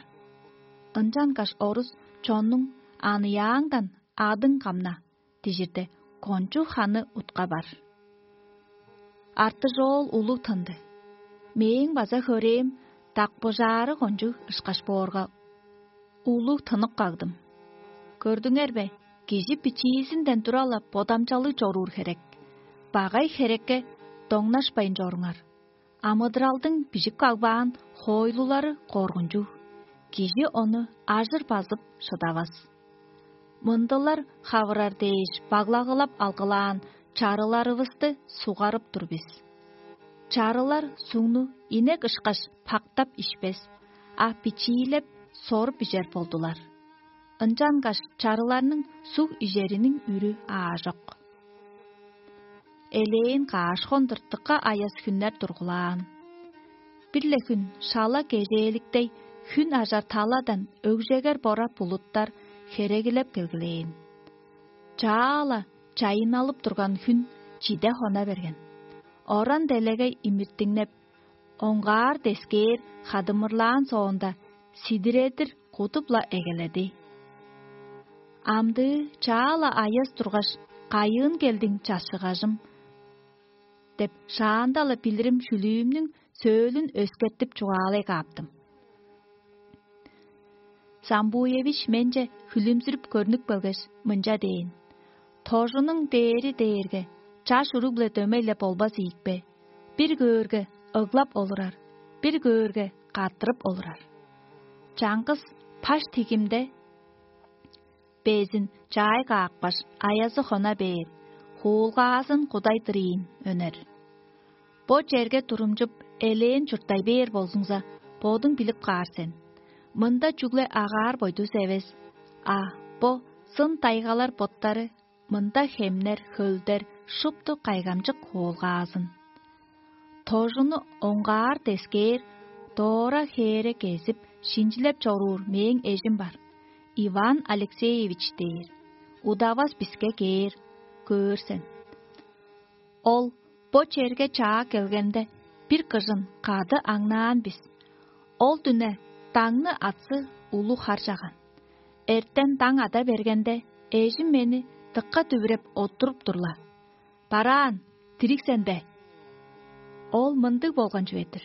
Ынчангаш орус чоннуң «Аныяаңдан адың камна» дижирде, кончуг ханы утка бар. Артыжоол улуг тынды. Мээң база хөрээм дакпыжаары кончуг ышкаш боорга, улуг тынып кагдым. Көрдүңер бе, кижи бичиизинден тура-ла бодамчалыг чоруур херек. Багай херекке доңнашпайн чоруңар. Амыдыралдың бижип кагбаан хоойлулары коргунчуг, кижи ону ажыр базып шыдавас. Мындылар хавырар дээш баглагылап алгылаан чарыларывысты сугарып тур бис. Чарылар сугну инек ышкаш пактап ишпес, а бичиилеп, соруп ижер болдулар. Ынчангаш чарыларның суг ижериниң үрү аажок. Элээн каш хондур дыка аяс хүннер тургулаан. Бир-ле хүн шала кежээликтей хүн ажар таладан өгжегер бора булуттар херегилеп келгилээн. Чаа-ла чайынналып турган хүн чиде хона берген. Оран делегей имиртиңнеп, оңгаар дескээр хадымырлаан соонда, сидиредир кудуп-ла эгеледи. Амдыы чаа-ла аяс тургаш, кайыын келдиң, чашыгажым?» – деп, шаанда-ла билирим шүлүүмнүң сөөлүн өскертип чугаалай кааптым. Самбуевич менче хүлүмзүрүп көрнүп келгеш, мынча дээн: «Тожунуң дээри дээрге чаш уруг-биле дөмей-ле болбас ийикпе? Бир көөрге, ыглап олурар, бир көөрге, каттырып олурар. Чаңгыс паш тигимде безин чаай каапкаш, аязы хона бээр, хуулгаазын кудай дырыйын өнер. Бо черге турумчуп, элээн чурттай бээр болзуңза, бодуң билип каар сен. Мында чүгле агаар-бойдус эвес, а бо сын тайгалар боттары, мында хемнер, хөлдер шупту кайгамчык хуулгаазын. Тожуну оңгаар дескээр, доора хээре кезип, шинчилеп чоруур мээң эжим бар, Иван Алексеевич дээр. Удавас биске кээр, көөр сен. Ол бо черге чаа келгенде, бир кыжын кады аңнаан бис. Ол дүне даңны атсы улуг хар чаган. Эртен даң ада бергенде, эжим мени дыкка дүвүреп оттуруп тур-ла: «Бараан, дириг сен бе?» Ол мындыг болган чүве-дир.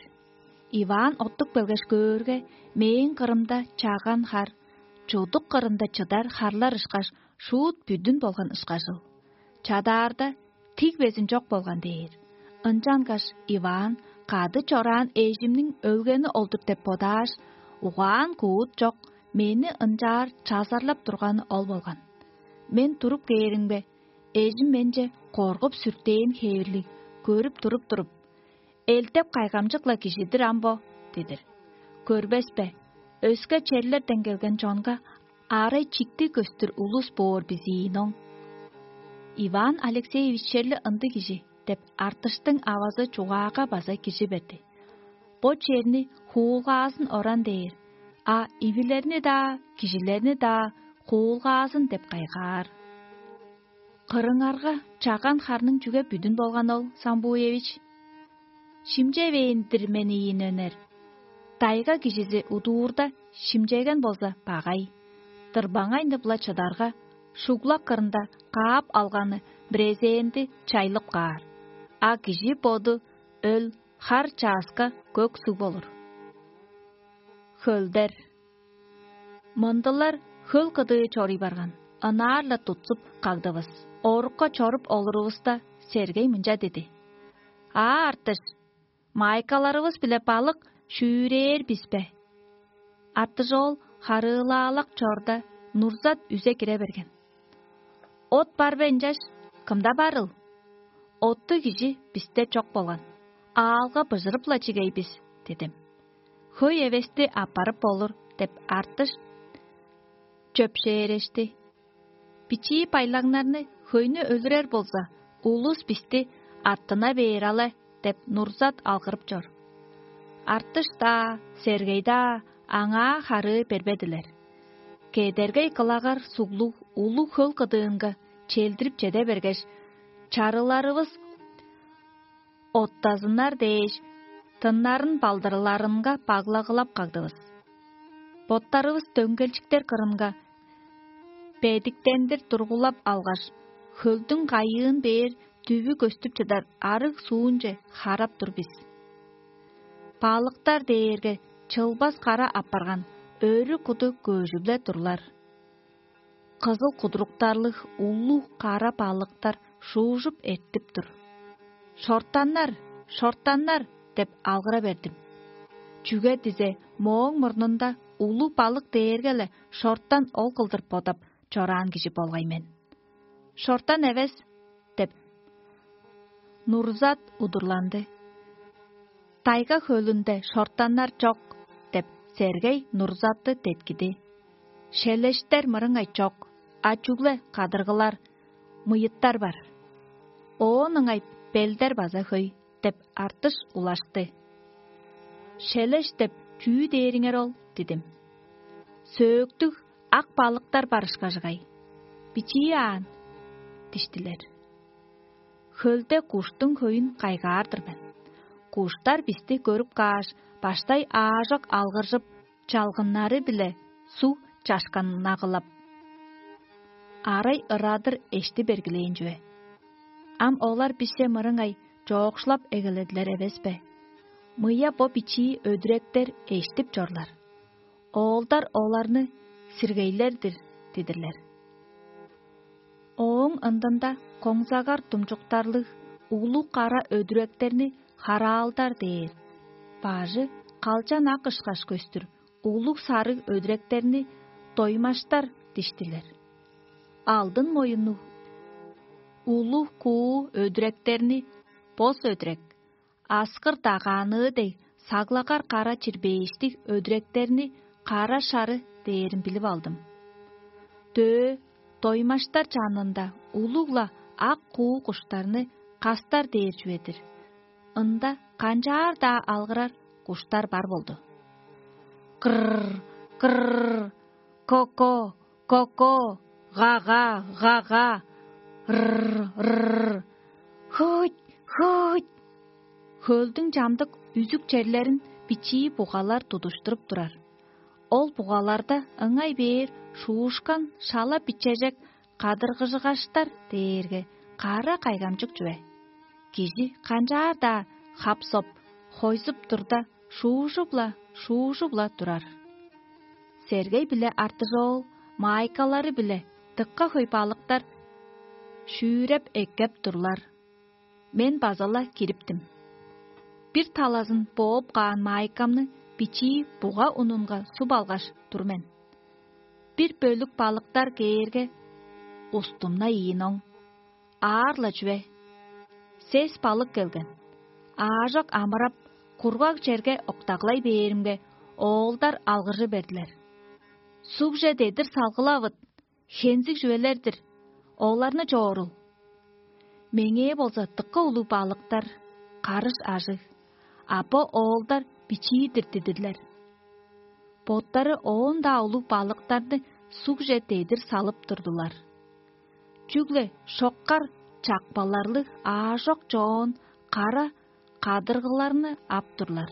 Иван оттуп келгеш көөрге, мээң кырымда чаган хар, чудук кырында чыдар харлар ышкаш, шуут бүдүн болган ышкажыл. Чадаарда, тиг безин чок болган дээр. Ынчангаш Иван кады чораан эжимниң өлгени ол-дур деп бодааш, угаан-куут чок, мени ынчаар чазарлап турганы ол болган. Мен туруп кээримге, эжим менче коргуп-сүртээн хевирлиг көрүп туруп-туруп: «Элдеп кайгамчык-ла кижи-дир ам бо» – дедир. «Көрбес бе, өске черлерден келген чонга арай чиктиг көстүр улус боор бис ийин оң». Иван Алексеевич черле ындыг кижи деп, Артыштың авазы чугаага база кижи берди. Бо черни хуулгаазын оран дээр, а ивилерни-даа, кижилерни-даа хуулгаазын деп кайгаар. Кырыңарга чаган харның чүге бүдүн болган ол, Самбуевич? Шимчевээн-дир мен ийин өнер. Тайга кижизи удуурда шимчеген болза багай. Дырбаңайны-биле чыдарга, шуглак кырында каап алганы брезенди чайлып каар, а кижи боду өл хар чааска көк суг болур. Хөлдер. Мындылар хөл кыдыы чоруй барган, ынаар-ла тутсуп кагдывыс. Орукка чоруп олурувуста, Сергей мынча диди: «Аа, Артыш, майкаларывыс-биле балык шүүрээр бис бе?» Артыш ол харыылаалак чорда, Нурзат үзе кире берген. «От бар бе ынчаш? Кымда барыл? Оттуг кижи бисте чок болган. Аалга быжырып-ла чигей бис» – дидим. «Хөй эвести аппарып болур» – деп, Артыш чөпшээрешти. «Бичии байлаңнарны, хөйнү өлүрер болза, улус бисти артына бээр але» – деп, Нурзат алгырып чор. Артыш-даа, Сергей-даа аңаа харыы бербедилер. Кедергей кылагар суглуг улуг хөл кыдыынга челдирип чеде бергеш, чарыларывыс оттазыннар дээш, тыннарын балдырларынга баглагылап кагдывыс. Боттарывыс дөңгелчиктер кырынга бедиктендир тургулап алгаш, хөлдүң кайыын бээр дүвү көстүп чыдар арыг суунче харап тур бис. Балыктар дээрге чылбас кара апарган өрү куду көжүп-ле турлар. Кызыл кудуруктарлыг улуг кара балыктар шуужуп эртип тур. «Шортаннар, шортаннар!» – деп алгыра бердим. Чүге дизе, мооң мурнунда улуг балык дээрге-ле шортан ол кылдыр бодап чораан кижи болгай мен. «Шортан эвес» – деп, Нурзат удурланды. «Тайга хөлүнде шортаннар чок» – деп, Сергей Нурзатты деткиди. «Шелештер мырыңай чок, а чүгле кадыргылар, мыйыттар бар. Оон ыңай белдер база хөй» – деп, Артыш улашты. «Шелеш деп чүү дээриңер ол?» – дидим. «Сөөктүг ак балыктар бар ышкажыгай. Бичии аан» – диштилер. Хөлде куштуң хөйүн кайгаар-дыр мен. Куштар бисти көрүп кааш, баштай аажок алгыржып, чалгыннары-биле суг чашканнагылап: арай ырадыр эшти бергилээн чүве. Ам олар бисче мырыңай чоокшулап эгеледилер эвес бе? Мыя бо бичии өдүректер эштип чорлар. Оолдар оларны сиргейлер-дир дидирлер. Ооң ындында коңзагар думчуктарлыг улуг кара өдүректерни хараалдар дээр, бажы калчан ак ышкаш көстүр улуг сарыг өдүректерни доймаштар диштилер. Алдын моюннуг улуг куу өдүректерни бос өдүрек, аскыр дагааныы дег саглагар кара чирбээштиг өдүректерни кара шары дээрин билип алдым. Дөө доймаштар чанында улуг-ла ак куу куштарны кастар дээр чүве-дир. Ында канчаар-даа алгырар куштар бар болду. Кырр, кырр, коко, коко, гага, гага, рр, рр, хуть, хуть. Хөлдүң чамдык үзүк черлерин бичии бугалар тудуштуруп турар. Ол бугаларда ыңай бээр шуушкан шала бичежек кадыргыжыгаштар дээрге кара кайгамчык чүве. Кижи канчаар-даа хап-соп, хойзуп турда, шуужуп-ла, шуужуп-ла турар. Сергей биле Артыжоол маайкалары-биле дыка хөй балыктар шүүреп эккеп турлар. Мен база-ла кириптим. Бир талазын бооп каан маайкамны бичии буга унунга суп алгаш тур мен. Бир бөлүк балыктар кээрге, устумна ийин оң. Аар-ла чүве. Сес балык келген. Аажок амырап, кургаг черге октаглай бээримге, оолдар алгыржы бердилер: «Сугже дедир салгылавыт, хензиг чүвелер-дир, оларны чоорул». Меңээ болза дыка улуг балыктар, карыш ажыг, а бо оолдар бичии-дир дидирлер. Боттары оон-даа улуг балыктарны сугже дедир салып турдулар. Чүгле шоккар чакпаларлыг аажок чоон кара кадыргыларны ап турлар.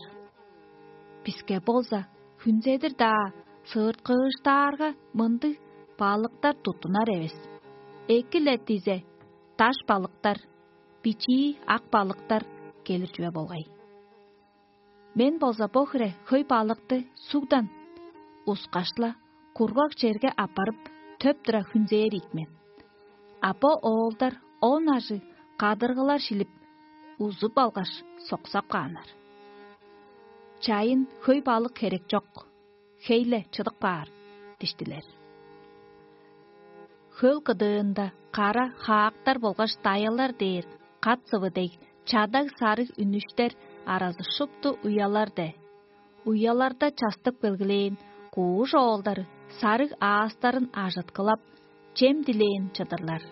Биске болза хүнзедир-даа сыырткыыштаарга мындыг балыктар туттунар эвес. Эки-ле дизе даш балыктар, бичии ак балыктар келир чүве болгай. Мен болза бо хире хөй балыкты сугдан ускаш-ла кургаг черге аппарып, төп тура хүнзээр ийик мен. А бо оолдар он ажыг кадыргылар шилип, узуп алгаш, соксап кааннар. «Чайын хөй балык херек чок, хей-ле чыдып каар» – диштилер. Хөл кыдыында кара хаактар болгаш даяалар дээр кат-сывы дег чадаг сарыг үнүштер аразы шупту уялар-де. Уяларда частып келгилээн кууш оолдары сарыг аастарын ажыткылап, чем дилээн чыдырлар.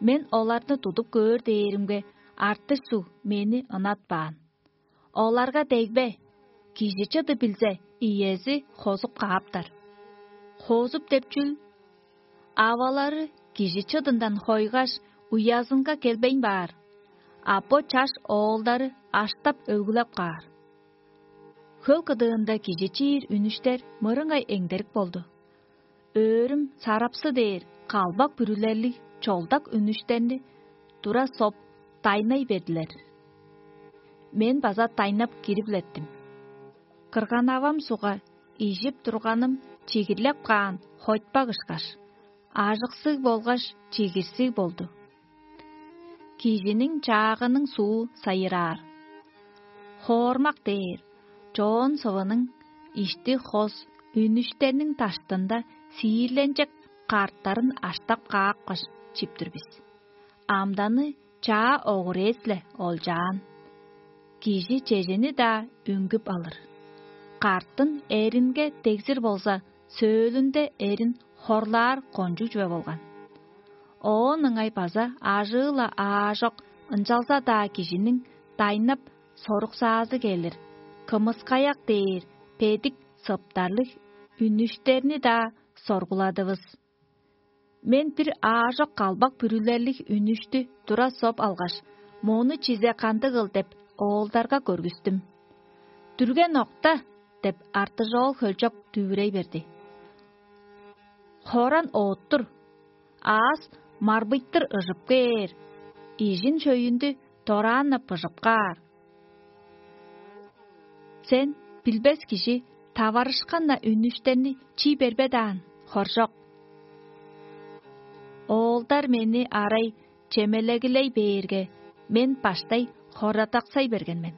Мен оларны тудуп көөр дээримге, артыш суг мени ынатпаан. Оларга дегбе, кижи чыды билзе, иези хозуп кааптар. Хозуп деп чүл? Авалары кижи чыдындан хойгаш, уязынга келбейн баар, а бо чаш оолдары аштап өлгүлеп каар. Хөл кыдыында кижи чиир үнүштер мырыңай эңдерик болду. Өөрүм сарапсы дээр калбак бүрүлерлиг чолдак үнүштерни тура соп, дайнай бердилер. Мен база дайнап кирип-леттим. Кырган-авам сугга ижип турганым чигирлеп каан хойтпак ышкаш, ажыксыг болгаш чигирсиг болду. Кижиниң чаагының суу сайыраар. Хоормак дээр чоон сывының ишти хос үнүштерниң даштында сиирленчек карттарын аштап каапкаш, чип тур бис. Амданы чаа огурец-ле олчаан. Кижи чежени-даа үнгүп алыр. Карттын эринге дегзир болза, сөөлүнде эрин хорлаар кончуг чүве болган. Оон ыңай база ажыы-ла аажок, ынчалза-даа кижиниң дайнап соруксаазы келир, кымыскаяк дээр бедик сыптарлыг үнүштерни-даа соргуладывыс. Мен бир аажок калбак бүрүлерлиг үнүштү тура соп алгаш, мону чизе кандыгыл деп, оолдарга көргүстүм. «Дүрген окта!» – деп, артыжоол хөлчок дүвүрей берди. «Хоран оът-тур. аас марбыйтыр ыжып кээр, ижин шөйүндү дораан-на быжып каар. Сен билбес кижи таварышкан-на үнүштерни чий бербедаан, хоржок. Оолдар мени арай чемелегилей бээрге, мен баштай хорадаксай берген мен.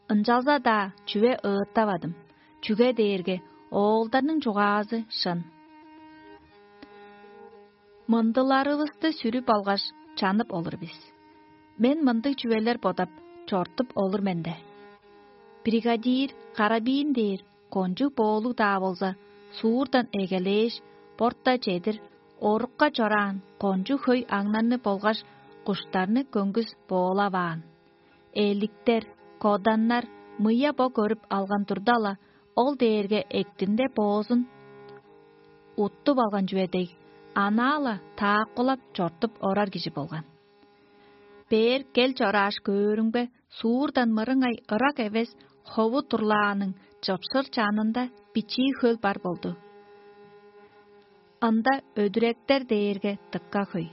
Ынчалза-даа чүве ыыттавадым, чүге дээрге оолдарның чугаазы шын. Мындыларывысты сүрүп алгаш, чанып олур бис. Мен мындыг чүвелер бодап, чортуп олур мен де. Бригадир карабиин дээр кончуг боолуг-даа болза, суурдан эгелээш, борта чедир, орукка чораан кончуг хөй аңнарны болгаш куштарны көңгүс боолаваан. Эликтер, коданнар мыя бо көрүп алган турда-ла, ол дээрге эктинде боозун уттуп алган чүве дег, анаа-ла таакпылап чортуп орар кижи болган. Бээр кел чорааш көөрүңбе, суурдан мырыңай ырак эвес хову турлааның чыпшыр чанында бичии хөл бар болду. Ында өдүректер дээрге дыка хөй.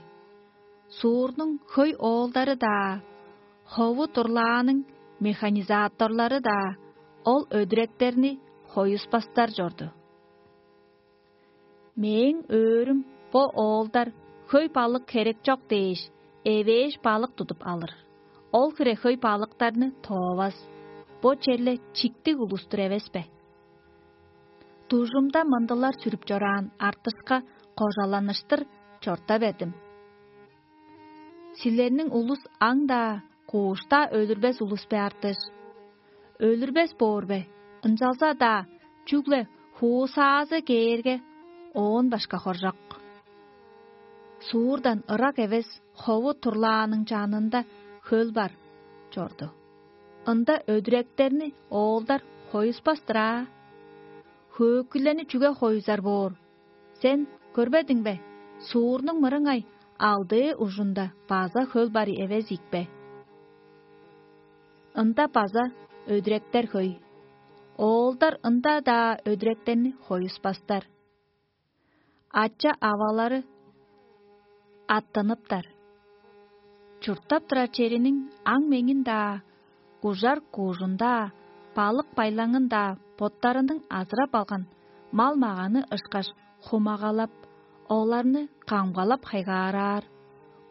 Суурнуң хөй оолдары-даа, хову турлааның механизаторлары-даа ол өдүректерни хоюспастар чорду. Мээң өөрүм бо оолдар хөй балык херек чок дээш, эвээш балык тудуп алыр. Ол хире хөй балыктарны тоовас. Бо черле чиктиг улус-тур эвес бе? Дужумда мындылар сүрүп чораан артышка кожаланыштыр чорта бердим. Силерниң улус аңдаа, кууштаа өлүрбес улус бе артыш? Өлүрбес боор бе? Ынчалза-даа чүгле хуусаазы кээрге, оон башка хоржок. Суурдан ырак эвес хову турлааның чанында хөл бар чорду. Ында өдүректерни оолдар хоюспас-тыр аа. Хөөкүлени чүге хоюзар боор? Сен көрбедиң бе? Суурнуң мырыңай алдыы ужунда база хөл бар эвес ийикпе? Ында база өдүректер хөй. Оолдар ында-даа өдүректерни хоюспастар. Ача-авалары аттыныптар. Чурттап турар чериниң аң-меңин-даа, ужар-куужун-даа, балык-байлаңын-даа боттарының азырап алган мал-маганы ышкаш хумагалап, оларны камгалап хайгаараар.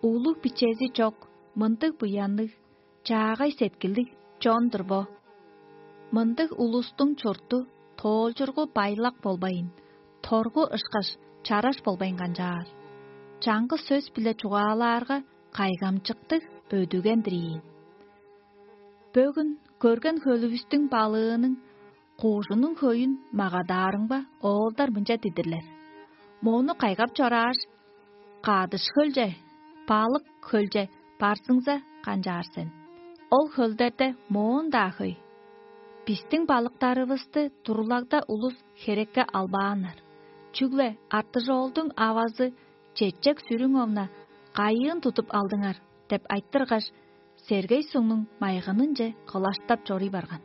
Улуг-бичези чок мындыг буянныг, чаагай сеткилдиг чон-дур бо. Мындыг улустуң чурту тоолчургу байлак болбайн, торгу ышкаш чараш болбайн канчаар. Чаңгыс сөс-биле чугаалаарга, кайгамчыктыг өдүген-дир ийин. Бөгүн көрген хөлүвүстүң балыының, куужунуң хөйүн магадаарыңба, оолдар мынча дидирлер: «Мону кайгап чорааш, кадыш хөлче, балык хөлче барзыңза канчаар сен? Ол хөлдерде моон-даа хөй. Бистиң балыктарывысты турлагда улус херекке албааннар. Чүгле артыжоолдуң авазы чечек сүрүң овна кайыын тудуп алдыңар?» — деп айтыргаш, сергей сугнуң майгынынче кылаштап чоруй барган.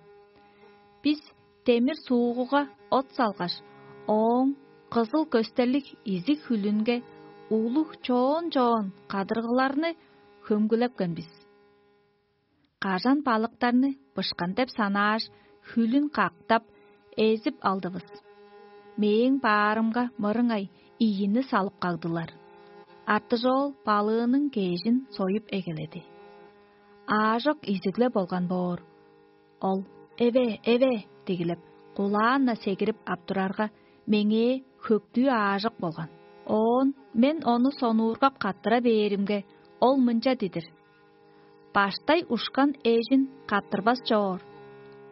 Бис демир суугуга от салгаш, ооң кызыл көстерлиг изиг хүлүнге улуг чоон-чоон кадыргыларны хөңгүлепкен бис. Кажан балыктарны бышкан деп санааш, хүлүн кактап, эзип алдывыс. Мээң баарымга мырыңай ийини салып кагдылар. Артыжоол балыының кежин союп эгеледи. Аажок изигле болган боор. Ол: «Эве, эве!» — дигилеп, кулаан-на сегирип ап турарга, меңээ хөктүү аажок болган. Оон мен ону сонуургап каттыра бээримге, ол мынча дидир: «Баштай ушкан эжин каттырбас чоор.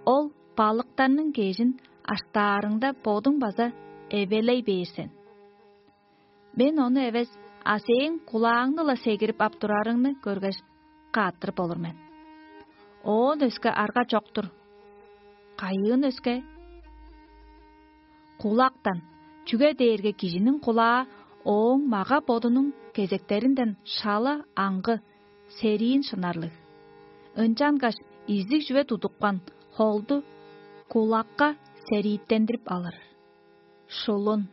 Ол балыктарның кежин аштаарыңда, бодуң база эвелей бээр сен». Мен ону эвес, а сээң кулааңны-ла сегирип ап турарыңны көргеш, кааттырып болур мен. Оон өске арга чок-тур. Кайыын өске? Кулактан, чүге дээрге кижиниң кулаа ооң мага-бодунуң кезектеринден шала аңгы, сериин шынарлыг. Ынчангаш изиг чүве тудупкан холду кулакка серииттендирип алыр. Шулун.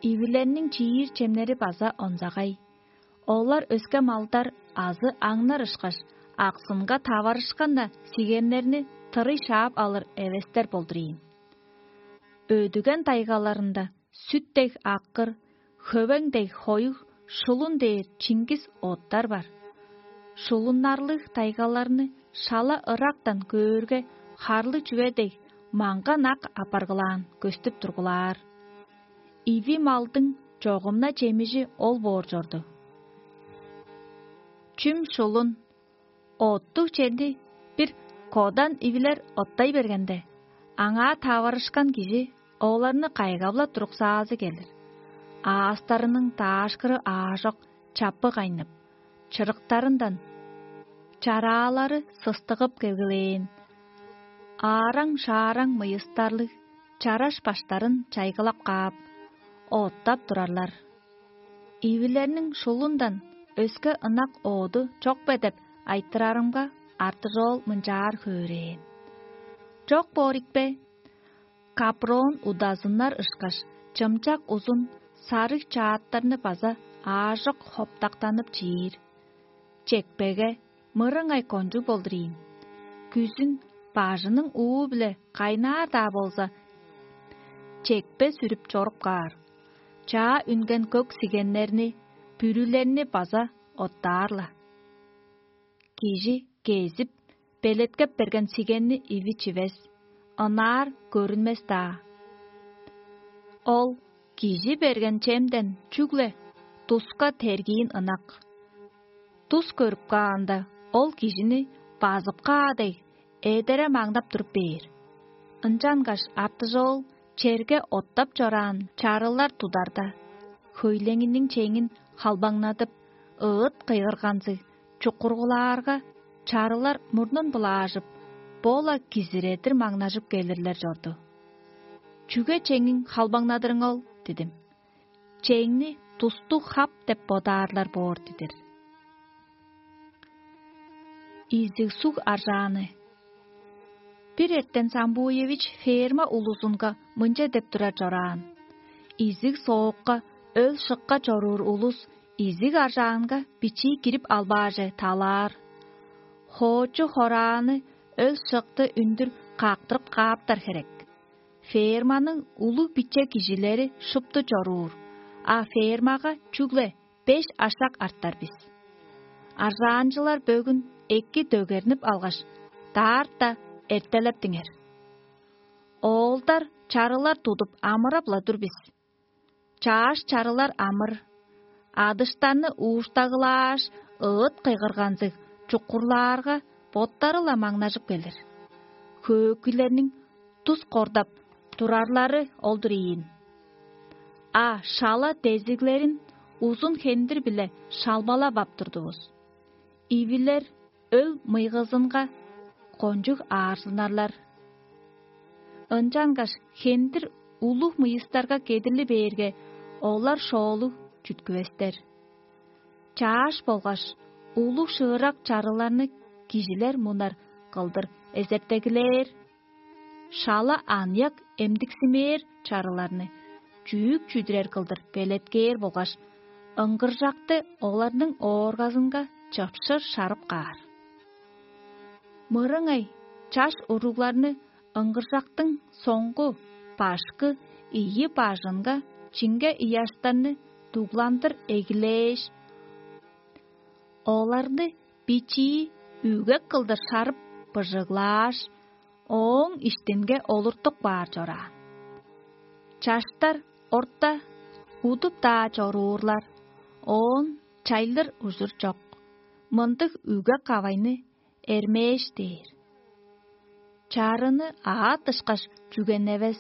Ивилерниң чиир чемнери база онзагай. Олар өске малдар азы аңнар ышкаш, аксынга таварышкан-на сигеннерни тырый шаап алыр эвестер болдур ийин. Өдүген тайгаларында сүт дег аккыр, хөвең дег хоюг, шулун дээр чингис оттар бар. Шулуннарлыг тайгаларны шала ырактан көөрге, харлы чүве дег маңган ак апаргылаан көстүп тургулаар. Иви малдың чогумна чемижи ол боор чорду. Чүм шулун, оттуг черни бир кодан ивилер оттай бергенде, аңаа таварышкан кижи оларны кайгап-ла туруксаазы келир. Аастарының даашкыры аажок чаппы кайнып, чырыктарындан чараалары сыстыгып келгилээн, аараң-шаараң мыйыстарлыг чараш баштарын чайгылап каап, оттап турарлар. Ивилерниң шулундан өске ынак ооду чок бе деп айтырарымга, артыжоол мынчаар хөөрээн: «Чок боор ийик бе? Капрон удазыннар ышкаш, чымчак узун сарыг чааттарны база аажок хоптактанып чиир. Чекпеге мырыңай кончуг болдур ийин. Күзүн бажының уу-биле кайнаар-даа болза, чекпе сүрүп чоруп каар. Чаа үнген көк сигеннерни, бүрүлерни база оттаар-ла. Кижи кезип, белеткеп берген сигенни иви чивес, ынаар көрүнмес-даа. Ол кижи берген чемден чүгле туска тергиин ынак. Тус көрүп каанда, ол кижини базып каа дег, эдере маңнап туруп бээр. Ынчангаш артыжоол черге оттап чораан чарылар тударда, хөйлеңиниң чеңин халбаңнадып, ыыт кыйгырганзыг чукургулаарга, чарылар мурнун былаажып, бо-ла кизиредир маңнажып келирлер чорду. «Чүге чеңиң халбаңнадырың ол?» – дидим. «Чеңни тустуг хап деп бодаарлар боор дидир». Изиг суг аржааны. Бир эртен Самбуевич ферма улузунга мынча деп турар чораан: «Изиг соокка, өл-шыкка чоруур улус изиг аржаанга бичии кирип албааже талаар. Хоочу хорааны, өл-шыкты үндүр каактырып кааптар херек. Ферманың улуг-биче кижилери шупту чоруур, а фермага чүгле беш ашак артар бис. Аржаанчылар бөгүн эки дөгернип алгаш, даарта эртелептиңер. Оолдар чарылар тудуп амырап-ла тур бис. Чааш чарылар амыр, адыштарны ууштагылааш, ыыт кыйгырганзыг чукурлаарга, боттары-ла маңнажып келир. Хөөкүйлерниң тус кордап турарлары ол-дур ийин. А шала дезиглерин узун хендир-биле шалбалап ап турдувус. Ивилер өл мыйгызынга кончуг аарзынарлар. Ынчангаш хендир улуг мыйыстарга кедирли бээрге, олар шоолуг чүткүвестер. Чааш болгаш улуг шыырак чарыларны кижилер мунар кылдыр эзертегилээр. Шала аныяк эмдиксимээр чарыларны чүүк чүдүрер кылдыр белеткээр болгаш, ыңгыржакты оларның ооргазынга чыпшыр шарып каар. Мырыңай чаш уругларны ыңгыржактың соңгу, башкы, ийи бажынга чиңге ыяштарны дугландыр эгилээш, оларны бичии үге кылдыр шарып быжыглааш, ооң иштинге олуртуп каар чораан. Чаштар орта удуп-даа чоруурлар, оон чайлыр ужур чок. Мындыг үге-кавайны эрмээш дээр. Чарыны аът ышкаш чүгеневес,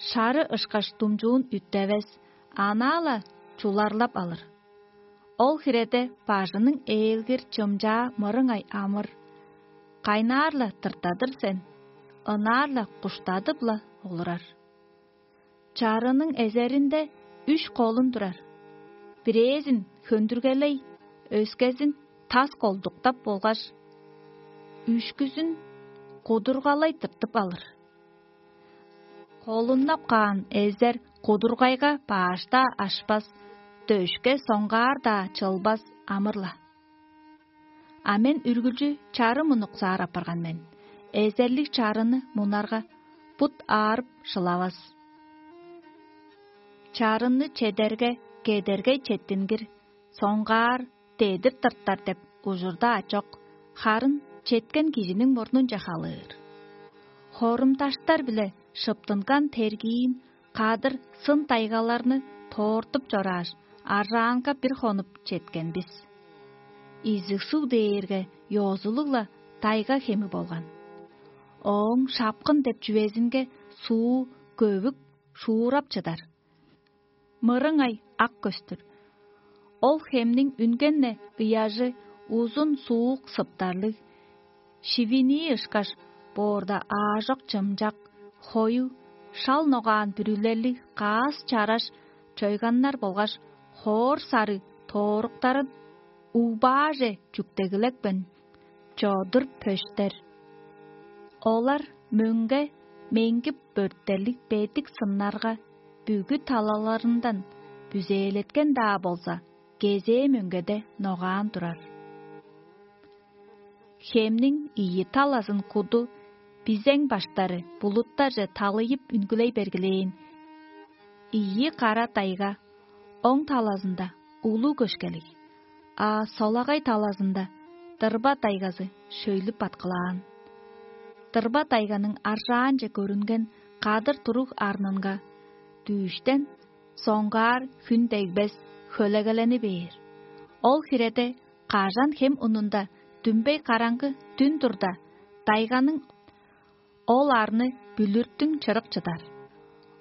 шары ышкаш думчуун үттевес, анаа-ла чуларлап алыр. Ол хиреде бажының ээлгир чымчаа мырыңай амыр. Кайнаар-ла тыртадыр сен, ынаар-ла куштадып-ла олурар. Чарының эзеринде үш колун турар. Бирээзин хөндүргелей, өскезин тас колдуктап болгаш, үшкүзүн кудургалай тыртып алыр. Холуннап каан эзер кудургайга баашта ашпас, дөшке соңгаар-даа чылбас амыр-ла. А мен үргүлчү чарым унуксаар апарган мен. Эзерлиг чарыны мунарга, бут аарып шылавас. Чарынны чедерге, кедергей четтингир, соңгаар дедир тыртар деп ужурда ачок, харын четкен кижиниң мурнунче халыыр. Хорумдаштар-биле шыптынган тергиин кадыр сын тайгаларны тоортуп чорааш, аржаанга бир хонуп четкен бис. Изиг суг дээрге ёзулуг-ла тайга хеми болган. Ооң шапкын деп чүвезинге суу көвүк шуурап чыдар. Мырыңай ак көстүр. Ол хемниң үнген-не ыяжы узун суук сыптарлыг, шивинии ышкаш боорда аажок чымчак, хою, шал ногаан бүрүлерлиг каас чараш чойганнар болгаш хоор сарыг тооруктарын угбааже чүктегилекпен чодур пөштер. Олар мөңге меңгип бөрттерлиг бедик сыннарга бүгү талаларындан бүзээлеткен-даа болза, кезээ мөңгеде ногаан турар. Хемниң ийи талазын куду бизең баштары булуттарже талыйып үнгүлей бергилээн. Ийи кара тайга оң талазында улуг көшкелиг, а солагай талазында дырба тайгазы шөйлүп баткылаан. Дырба тайганың аржаанче көрүнген кадыр туруг арнынга дүүштен соңгаар хүн дегбес хөлегелени бээр. Ол хиреде кажан хем унунда дүмбей караңгы дүн турда, тайганың ол арны бүлүртүң чырык чыдар.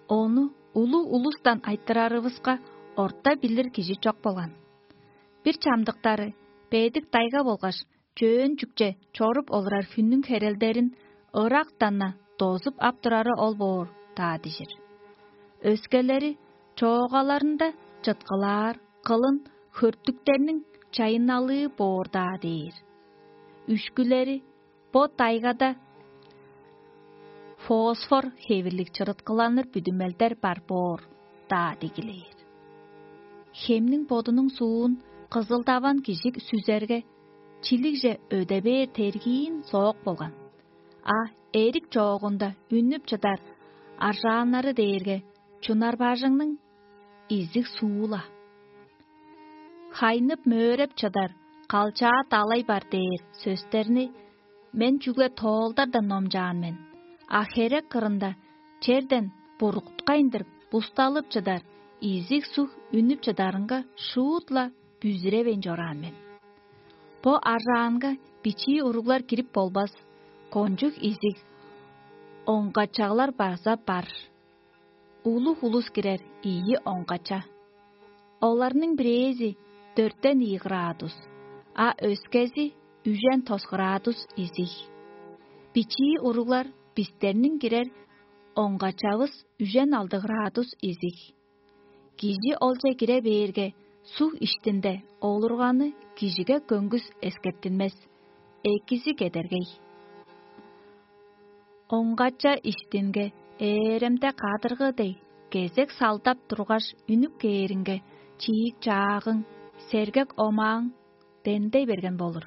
Ону улуг улустан айтырарывыска, орта билир кижи чок болган. Бир чамдыктары бедик тайга болгаш чөөн чүкче чоруп олурар хүннүң херелдерин ырактан-на дозуп ап турары ол боор-даа дижир. Өскелери чоогаларында чыткылаар кылын хөртүктерниң чайынналыы боор-даа дээр. Үшкүлери бо тайгада фосфор хевирлиг чырыткыланыр бүдүмелдер бар боор-даа дигилээр. Хемниң бодунуң суун кызылдаван кижи сүзерге, чилигже өде бээр тергиин соок болган. А эрик чоогунда үннүп чыдар аржааннары дээрге чунар бажыңның изиг суу-ла. Хайнып мөөреп чыдар калчаа далай бар дээр сөстерни мен чүгле тоолдардан номчаан мен, а херек кырында черден бургуткайындыр бусталып чыдар изиг суг үнүп чыдарынга шуут-ла бүзүревейн чораан мен. Бо аржаанга бичии уруглар кирип болбас, кончуг изиг оңгачаглар база бар. Улуг улус кирер ийи оңгача. Оларның бирээзи дөртен ийи градус, а өскези үжен тос градус изиг. Бичии уруглар бистерниң кирер оңгачавыс үжен алды градус изиг. Кижи олче кире бээрге, суг иштинде олурганы кижиге көңгүс эскертинмес, экизи кедергей. Оңгача иштинге ээремде кадыргы дег кезек салдап тургаш үнүп кээринге, чиик чаагың, сергек омааң дендей берген болур.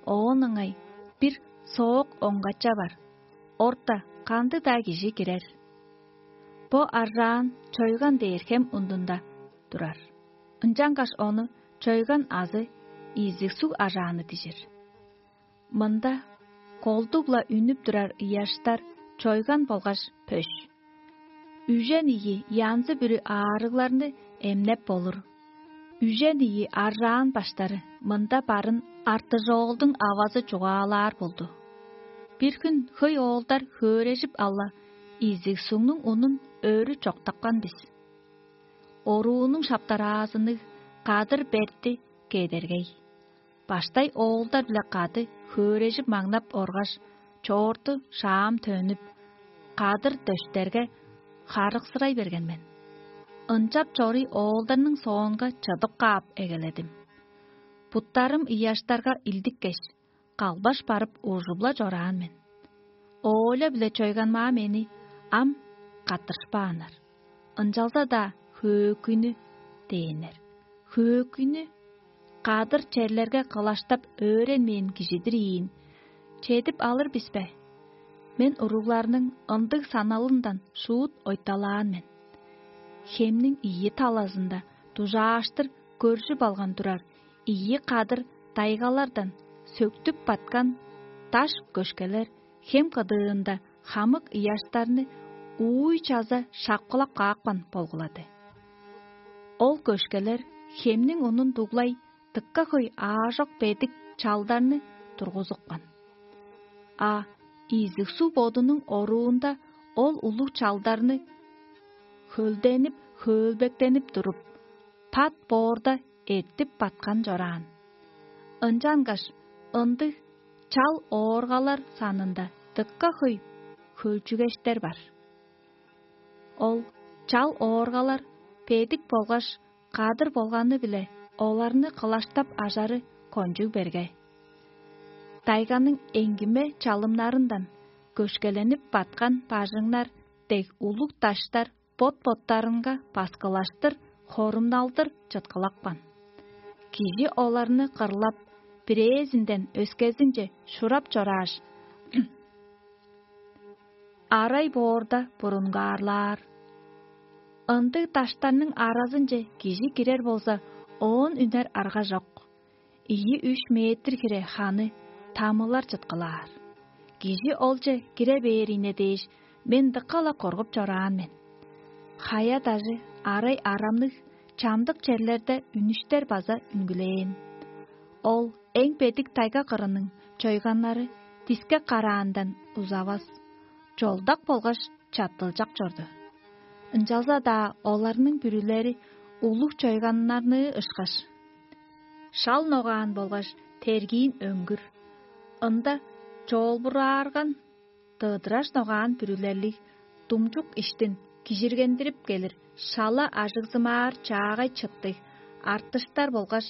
Оон ыңай бир соок оңгача бар. Орта кандыг-даа кижи кирер. Бо аржаан чойган дээр хем ундунда турар. Ынчангаш ону чойган азы изиг суг ажааны дижир. Мында колдуг-ла үнүп турар ыяштар чойган болгаш пөш. Үжен ийи янзы-бүрү аарыгларны эмнеп болур. Үжен ийи аржаан баштары мында барын артыжоолдуң авазы чугаалаар болду. Бир хүн хөй оолдар хөөрежип алла, изиг сугнуң унун өрү чоктапкан бис. Оруунуң шаптараазынныг кадыр берти кедергей. Баштай оолдар-биле кады хөөрежип маңнап оргаш, чоорту шаам төнүп, кадыр дөштерге харыксырай берген мен. Ынчап чоруй оолдарның соонга чыдып каап эгеледим. Буттарым ыяштарга илдиккеш, калбаш барып ужуп-ла чораан мен. Оля-биле чойганмаа мени ам каттырышпааннар. Ынчалза-даа хөөкүйнү дээннер. Хөөкүйнү кадыр черлерге кылаштап өөренмээн кижидир ийин. Чедип алыр бис бе? Мен уругларның ындыг саналындан шуут ойталаан мен. Хемниң ийи талазында дужааштыр көржүп алган турар ийи кадыр тайгалардан сөктүп баткан даш көшкелер хем кыдыында хамык ыяштарны ууй чаза шапкылап каапкан болгулады. Ол көшкелер хемниң унун дуглай дыка хөй аажок бедик чалдарны тургузупкан. А изиг суг бодунуң оруунда ол улуг чалдарны хөлденип, хөөлбектенип туруп, пат боорда эртип баткан чораан. Ынчангаш ындыг чал ооргалар санында дыка хөй хөлчүгештер бар. Ол чал ооргалар бедик болгаш кадыр болганы-биле оларны кылаштап ажары кончуг берге. Тайганың эңгиме чалымнарындан көшкеленип баткан бажыңнар дег улуг даштар бот-боттарынга баскылаштыр, хорумналдыр чыткылапкан. Кижи оларны кырлап, бирээзинден өскезинче шурап чорааш, арай боорда бурунгаарлаар. Ындыг даштарның аразынче кижи кирер болза, оон үнер арга чок. Ийи-үш метр хире ханы тамылар чыткылаар. Кижи олче кире бээрине дээш, мен дыка-ла коргуп чораан мен. Хая-дажы арай арамныг, чамдык черлерде үнүштер база үнгүлээн. Ол эң бедик тайга кырының чойганнары дискек караандан узавас, чолдак болгаш чаттылчак чорду. Ынчалза-даа оларның бүрүлери улуг чойганнарныы ышкаш, шал ногаан болгаш тергиин өңгүр. Ында чоолбураарган дыдыраш ногаан бүрүлерлиг, думчук иштин кижиргендирип келир шала ажыгзымаар чаагай чыттыг, артыштар болгаш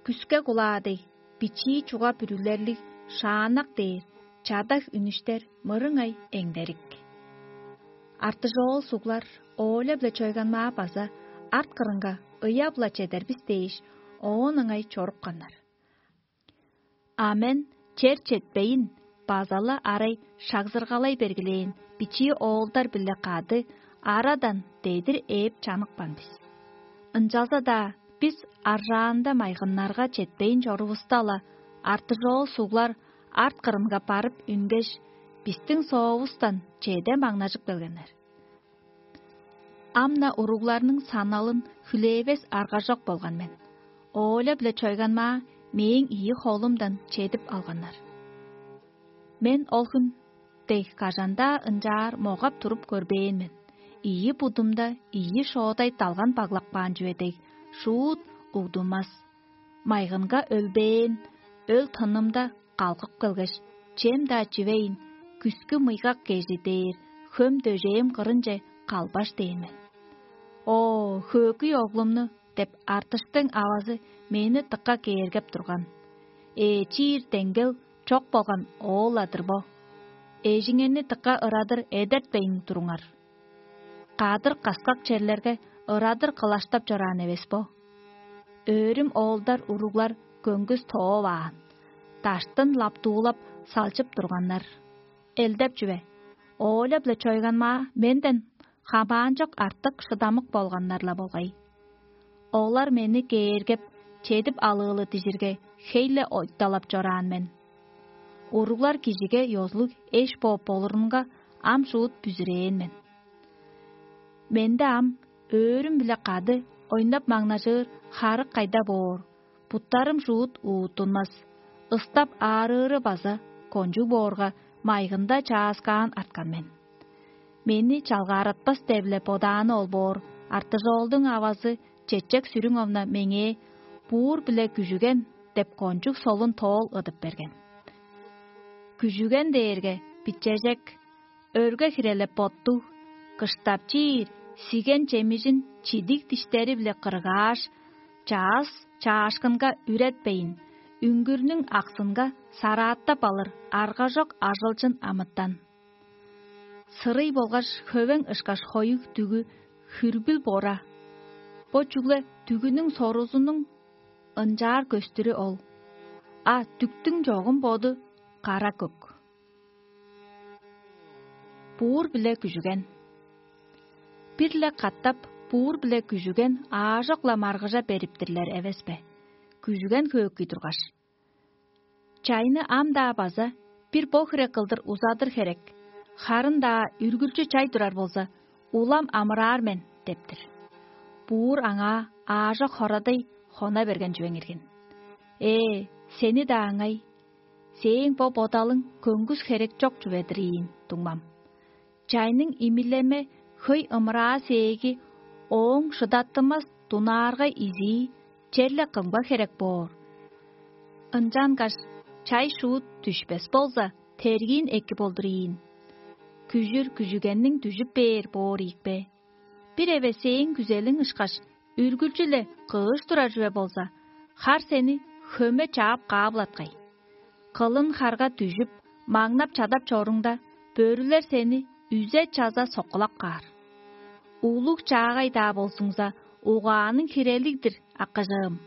күске кулаа дег бичии чуга бүрүлерлиг шааннак дээр чадаг үнүштер мырыңай эңдерик. Артыжоол суглар Оля-биле Чойганмаа база арт кырынга ыяп-ла чедер бис дээш, оон ыңай чорупканнар. А мен чер четпейн, база-ла арай шагзыргалай бергилээн бичии оолдар-биле кады арадан дедир ээп чаныкпан бис. Ынчалза-даа бис аржаанда майгыннарга четпейн чорувуста-ла, артыжоол суглар арт кырынга барып үнгеш, бистиң соовустан чеде маңнажып келгеннер. Ам-на уругларның саналын хүлээвес аргажок болган мен. Оля-биле Чойганмаа мээң ийи холумдан чедип алганнар. Мен ол хүн дег кажан-даа ынчаар могап туруп көрбээн мен. Ийи будумда ийи шоодай далган баглап каан чүве дег, шуут угдунмас. Майгынга өлбээн, өл тынымда калгып келгеш, чем-даа чивейн, күскү мыйгак кежи дээр хөм дөжээм кырынче калбаш дээн мен. «О, хөөкүй оглумну!» — деп артыштың авазы мени дыка кээргеп турган. «Ээ, чиир деңгел чок болган оол-ла-дыр бо. Эжиңерни дыка ырадыр эдертпейн туруңар. Кадыр-каскак черлерге ырадыр кылаштап чораан эвес бо? Өөрүм оолдар уруглар көңгүс тооваан, даштын лаптуулап салчып турганнар. Элдеп чүве, Оля-биле Чойганмаа менден хамаанчок артык шыдамык болганнар-ла болгай. Олар мени кээргеп, чедип алыылы дижирге, хей-ле ойталап чораан мен. Уруглар кижиге ёзулуг эш бооп болурунга ам шуут бүзүрээн мен. Менде ам өөрүм-биле кады ойнап-маңнажыр харык кайда боор, буттарым шуут уутунмас, ыстап аарыыры база кончуг боорга, майгында чааскаан арткан мен. Мени чалгааратпас деп-ле бодааны ол боор, артыжоолдуң авазы Чечек Сүрүңовна меңээ: «Буур-биле күжүген» — деп кончуг солун тоол ыдып берген. Күжүген дээрге бичежек, өрге хирелеп боттуг, кыштап чиир, сиген чемижин чидиг диштери-биле кыргааш, чаас чаашкынга үретпейн, үңгүрнүң аксынга сарааттап алыр аргажок ажылчын амытан. Сырый болгаш хөвең ышкаш хоюг дүгү хүрбүл бора. Бо чүгле дүгүнүң сорузунуң ынчаар көстүрү ол. А дүктүң чогум боду кара көк. Буур биле күжүген. Бир-ле катап буур биле күжүген аажок-ла маргыжа бериптирлер эвес бе? Күжүген хөөкүй тургаш. Чайны ам-даа база бир бо хире кылдыр узадыр херек, харын-даа үргүлчү чай турар болза, улам амыраар мен дептир. Буур аңаа аажок хорадый хона берген чүвең иргин. Ээ, сени-даа ыңай, сээң бо бодалың көңгүс херек чок чүве-дир ийин, дуңмам. Чайның имилеме хөй ымыраа сээги ооң шыдаттымас дунааргай изии черле кымга херек боор? Ынчангаш чай шуут дүшпес болза, тергиин эки болдур ийин. Күжүр күжүгенниң дүжүп бээр боор ийикпе? Бир эвес сээң күзелиң ышкаш, үргүлчү-ле кыыш турар чүве болза, хар сени хөме чаап каап-латкай. Кылын харга дүжүп, маңнап чадап чоруңда, бөрүлер сени үзе-чаза соккулап каар. Улуг чаагай-даа болзуңза, угааның хирелиг-дир, акыжыым.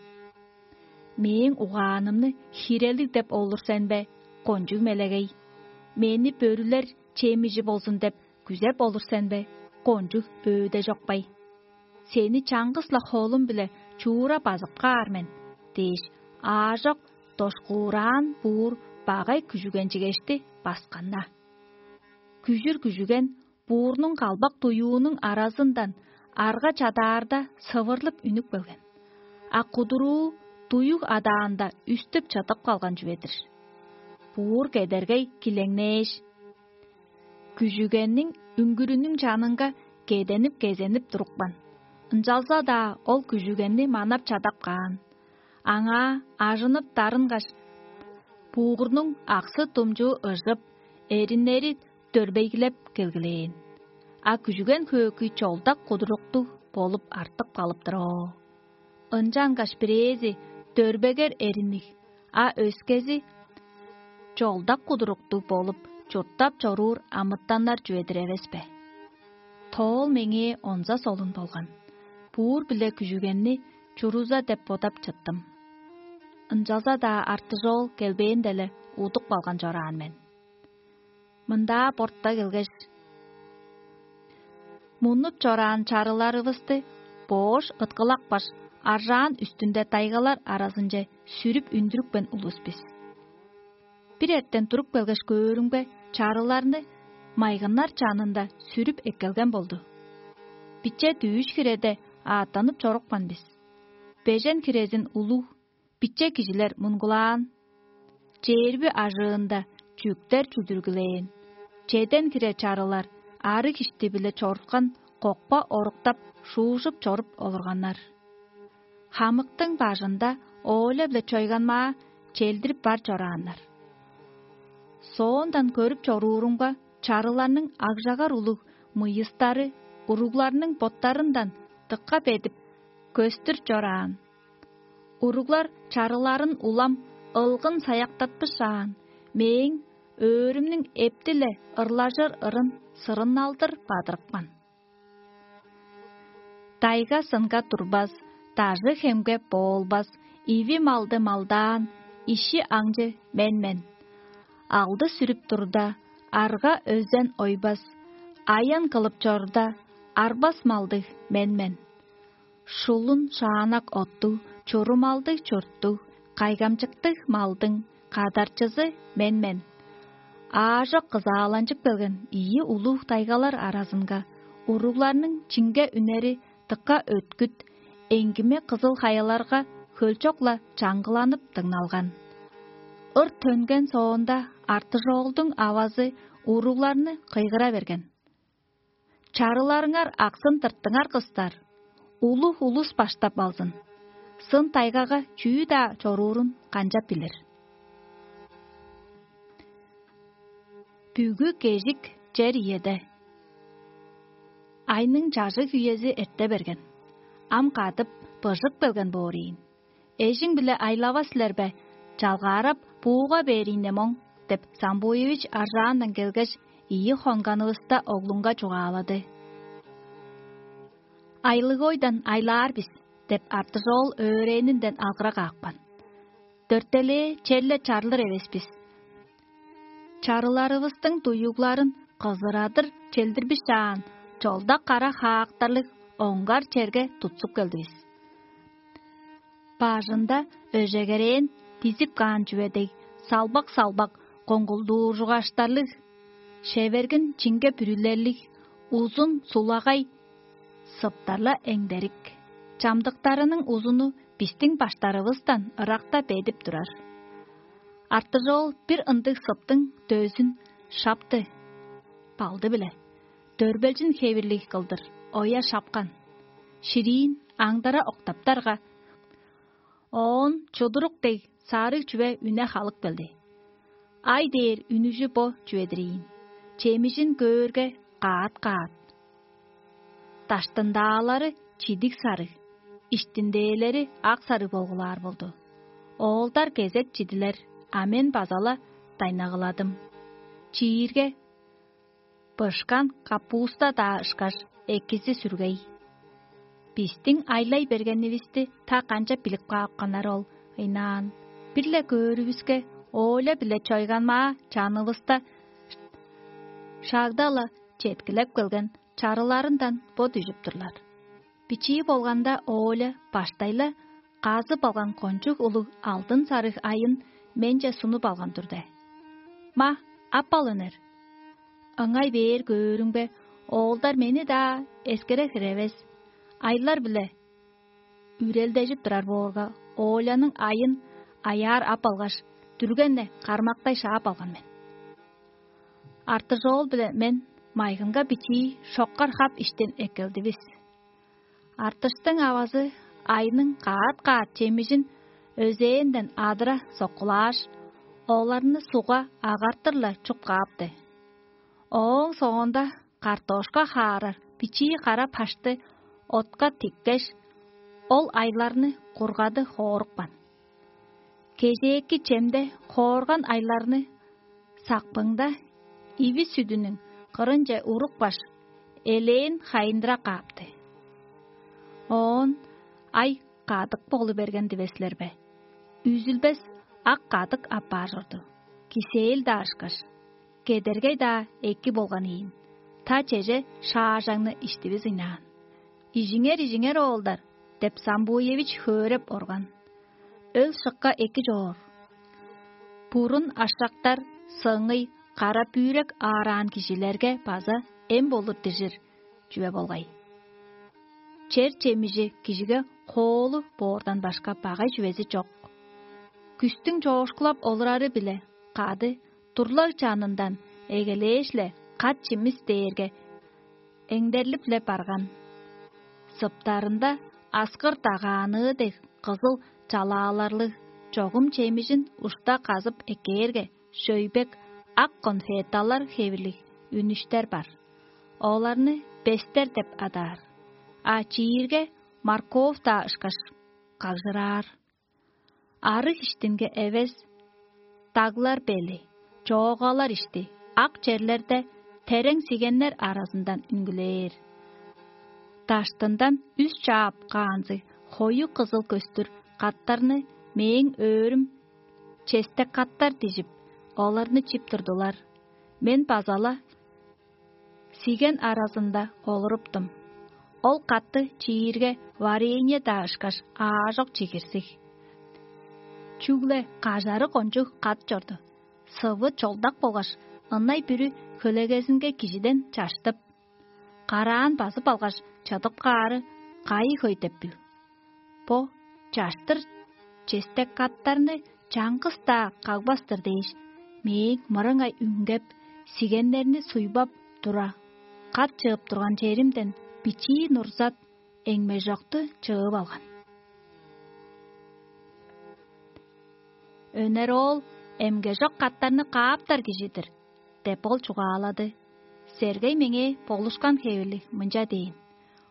Мээң угаанымны хирелиг деп олур сен бе, кончуг мелегей? Мени бөрүлер чемижи болзун деп күзеп олур сен бе, кончуг өөде чокпай? Сени чаңгыс-ла холум-биле чуура базып каар мен дээш, аажок дошкуураан буур багай күжүгенчигешти басканна. Күжүр күжүген буурнуң калбак дуюунуң аразындан арга чадаарда сывырлып үнүп келген. А кудуруу дуюг адаанда үстүп чыдып калган чүве-дир. Буур кедергей килеңнээш, күжүгенниң үңгүрүнүң чанынга кеденип-кезенип турупкан. Ынчалза-даа ол күжүгенни манап чадап каан. Аңаа ажынып дарынгаш, буугурнуң аксы-думчуу ыжып, эриннери дөрбейгилеп келгилээн. А күжүген хөөкүй чолдак кудуруктуг болуп артып калыптыр оо. Ынчангаш бирээзи дөрбегер эринниг, а өскези чолдак кудуруктуг болуп чурттап чоруур амытаннар чүве-дир эвес бе? Тоол меңээ онза солун болган. Буур-биле күжүгенни чуруза деп бодап чыттым. Ынчалза-даа артыжоол келбээн-деле удуп калган чораан мен. Мындаа бортта келгеш, муннуп чораан чарыларывысты боош ыткылапкаш, аржаан үстүнде дайгалар аразынче сүрүп үндүрүпкен улус бис. Бир эртен туруп келгеш көөрүмге, чарыларны майгыннар чанында сүрүп эккелген болду. Биче дүүш хиреде ааттанып чорупкан бис. Бежен хирезин улуг, биче кижилер мунгулаан. Чээрби ажыында чүктер чүдүргүлээн. Чеден хире чарылар арыг ишти-биле чорткан кокпа оруктап, шуужуп чоруп олурганнар. Хамыктың бажында ооле-биле чойганмаа челдирип бар чорааннар. Соондан көрүп чоруурумга, чарыларның агжагар улуг мыйыстары уругларның боттарындан дыка бедип, көстүр чораан. Уруглар чарыларын улам ылгын саяктатпышаан, мээң өөрүмнүң эптиле ырлажыр ырын сырынналдыр бадырыпкан. Дайга-сынга турбас, дажы-хемге боолбас, иви малды малдаан, иши аңчы мен мен. Алды сүрүп турда, арга-өзен ойбас, аян кылып чорда, арбас малдыг мен мен. Шулун шаанак оттуг, чурумалдыг чурттуг, кайгамчыктыг малдың кадарчызы мен мен. Аажок кызааланчып келген ийи улуг тайгалар аразынга уругларның чиңге үнери дыка өткүт, эңгиме кызыл хаяларга хөлчок-ла чаңгыланып дыңналган. Ыр төнген соонда, артыжоолдуң авазы уругларны кыйгыра берген: «Чарыларыңар аксын тырттыңар, кыстар, улуг улус баштап алзын. Сын тайгага чүү-даа чоруурун канчап билир?» Бүгү кежик чер иеде. Айның чажыг үези эрте берген. Ам кадып быжып келген боор ийин. «Эжиң-биле айлава силер бе? Чалгаарап, бууга бээр ийне моң» — деп, Самбуевич аржаандан келгеш, ийи хонганывыста оглунга чугаалады. «Айлыгойдан айлаар бис» – деп, Артыжоол өөрээнинден алгыра каапкан. Дөртелээ черле чарлыр эвес бис. Чарыларывыстың дуюгларын кызырадыр челдирбишаан, чолдак кара хаактарлыг оңгар черге тутсуп келдивис. Бажында өжегерээн дизип каан чүве дег, салбак-салбак коңгулдууржугаштарлыг, шевергин чиңге бүрүлерлиг, узун сулагай сыптар-ла эңдерик. Чамдыктарының узуну бистиң баштарывыстан ыракта бедип турар. Артыжоол бир ындыг сыптың дөзүн шапты балды-биле, дөрбелчин хевирлиг кылдыр оя шапкан. Шириин аңдара октаптарга, оон чудурук дег сарыг чүве үне халып келди. Ай дээр үнүжү бо чүве-дир ийин, чемижин көөрге, каат-каат. Даштындаалары чидиг сарыг, иштиндээлери ак сарыг болгулаар болду. Оолдар кезек чидилер, а мен база-ла дайнагыладым. Чиирге бышкан капуста-даа ышкаш, экизи сүргей. Бистиң айлай бергенивисти та канчап билип каапканнар ол ыйнаан. Бир-ле көөрүвүске, Оля-биле чойганмаа чанывыста шагда-ла четкилеп келген чарыларындан бо дүжүп турлар. Бичии болганда, Оля баштай-ла казып алган кончуг улуг алдын сарыг айын менче сунуп алган турда: «Ма, ап ал, өнер». Ыңай бээр көөрүмге, оолдар мени-даа эскере хире эвес, айлар-биле үрелдежип турар боорга, Оляның айын аяар ап алгаш, дүрген-не кармактай шаап алган мен. Артыжоол-биле мен майгынга бичии шоккар хап иштин эккелдивис. Артыштың авазы айның каат-каат чемижин өзээнден адыра соккулааш, оларны сугга агартыр-ла чуп каапты. Ооң соонда картошка хаарар бичии кара пашты отка тиккеш, ол айларны кургады хоорупкан. Кежээки чемде хоорган айларны сакпыңда иви сүдүнүң кырынче урупкаш, элээн хайындыра каапты. Оон ай кадык болу берген дивес силер бе? Үзүлбес ак кадык апаар чорду. Кисээл-даа ышкаш, кедергей-даа эки болган ийин. Та чеже шаажаңны иштивис ыйнаан. «Ижиңер, ижиңер, оолдар!» – деп Самбуевич хөөреп орган. Өл-шыкка эки чоор. Бурун ашактар сыңый кара бүүрек аараан кижилерге база эм болур дижир чүве болгай. Чер чемижи кижиге хоолу боордан башка багай чүвези чок. Күстүң чоокшулап олурары-биле кады турлаг чанындан эгелээш-ле кат чимис дээрге эңдерлип-ле барган. Сыптарында аскыр дагааныы дег кызыл чалааларлыг чогум чемижин ушта казып эккээрге, шөйбек ак конфеталар хевирлиг үнүштер бар. Оларны бестер деп адаар, а чиирге морковь-даа ышкаш кагжыраар. Арыг иштинге эвес, даглар бели, чоогалар ишти ак черлерде терең сигеннер аразындан үнгүлээр. Даштындан үс чаап каанзы хою кызыл көстүр каттарны мээң өөрүм честек каттар дижип, оларны чип турдулар. Мен база-ла сиген аразында олуруптум. Ол катты чиирге варенье-даа ышкаш аажок чигирзиг. Чүгле кажары кончуг кат чорду. Сывы чолдак болгаш, ынай бүрү хөлегезинге кижиден чаштып, караан базып алгаш, чыдып каары кайы хөй деп бил. Бо чаштыр честек каттарны чаңгыс-даа кагбас-тыр дээш, мээң мырыңай үңгеп, сигеннерни суйбап тура, кат чыып турган черимден бичии нурзат эңмежокту чыып алган. «Өнер оол эмгежок каттарны кааптар кижи-дир» – деп ол чугаалады. Сергей меңээ болушкан хевирлиг мынча дээн: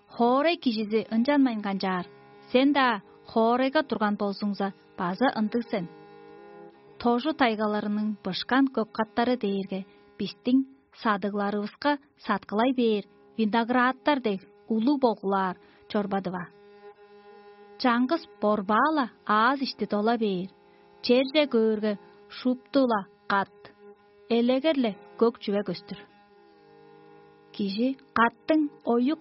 «Хоорай кижизи ынчанмайн канчаар, сен-даа хоорайга турган болзуңза, база ындыг сен». Тожу тайгаларының бышкан көк каттары дээрге бистиң садыгларывыска саткылай бээр виноградтар дег улуг болгулаар чорбады-ва. Чаңгыс борбаа-ла ааз ишти дола бээр, черже көөрге шупту-ла кат, элегер-ле көк чүве көстүр. Кижи каттың оюк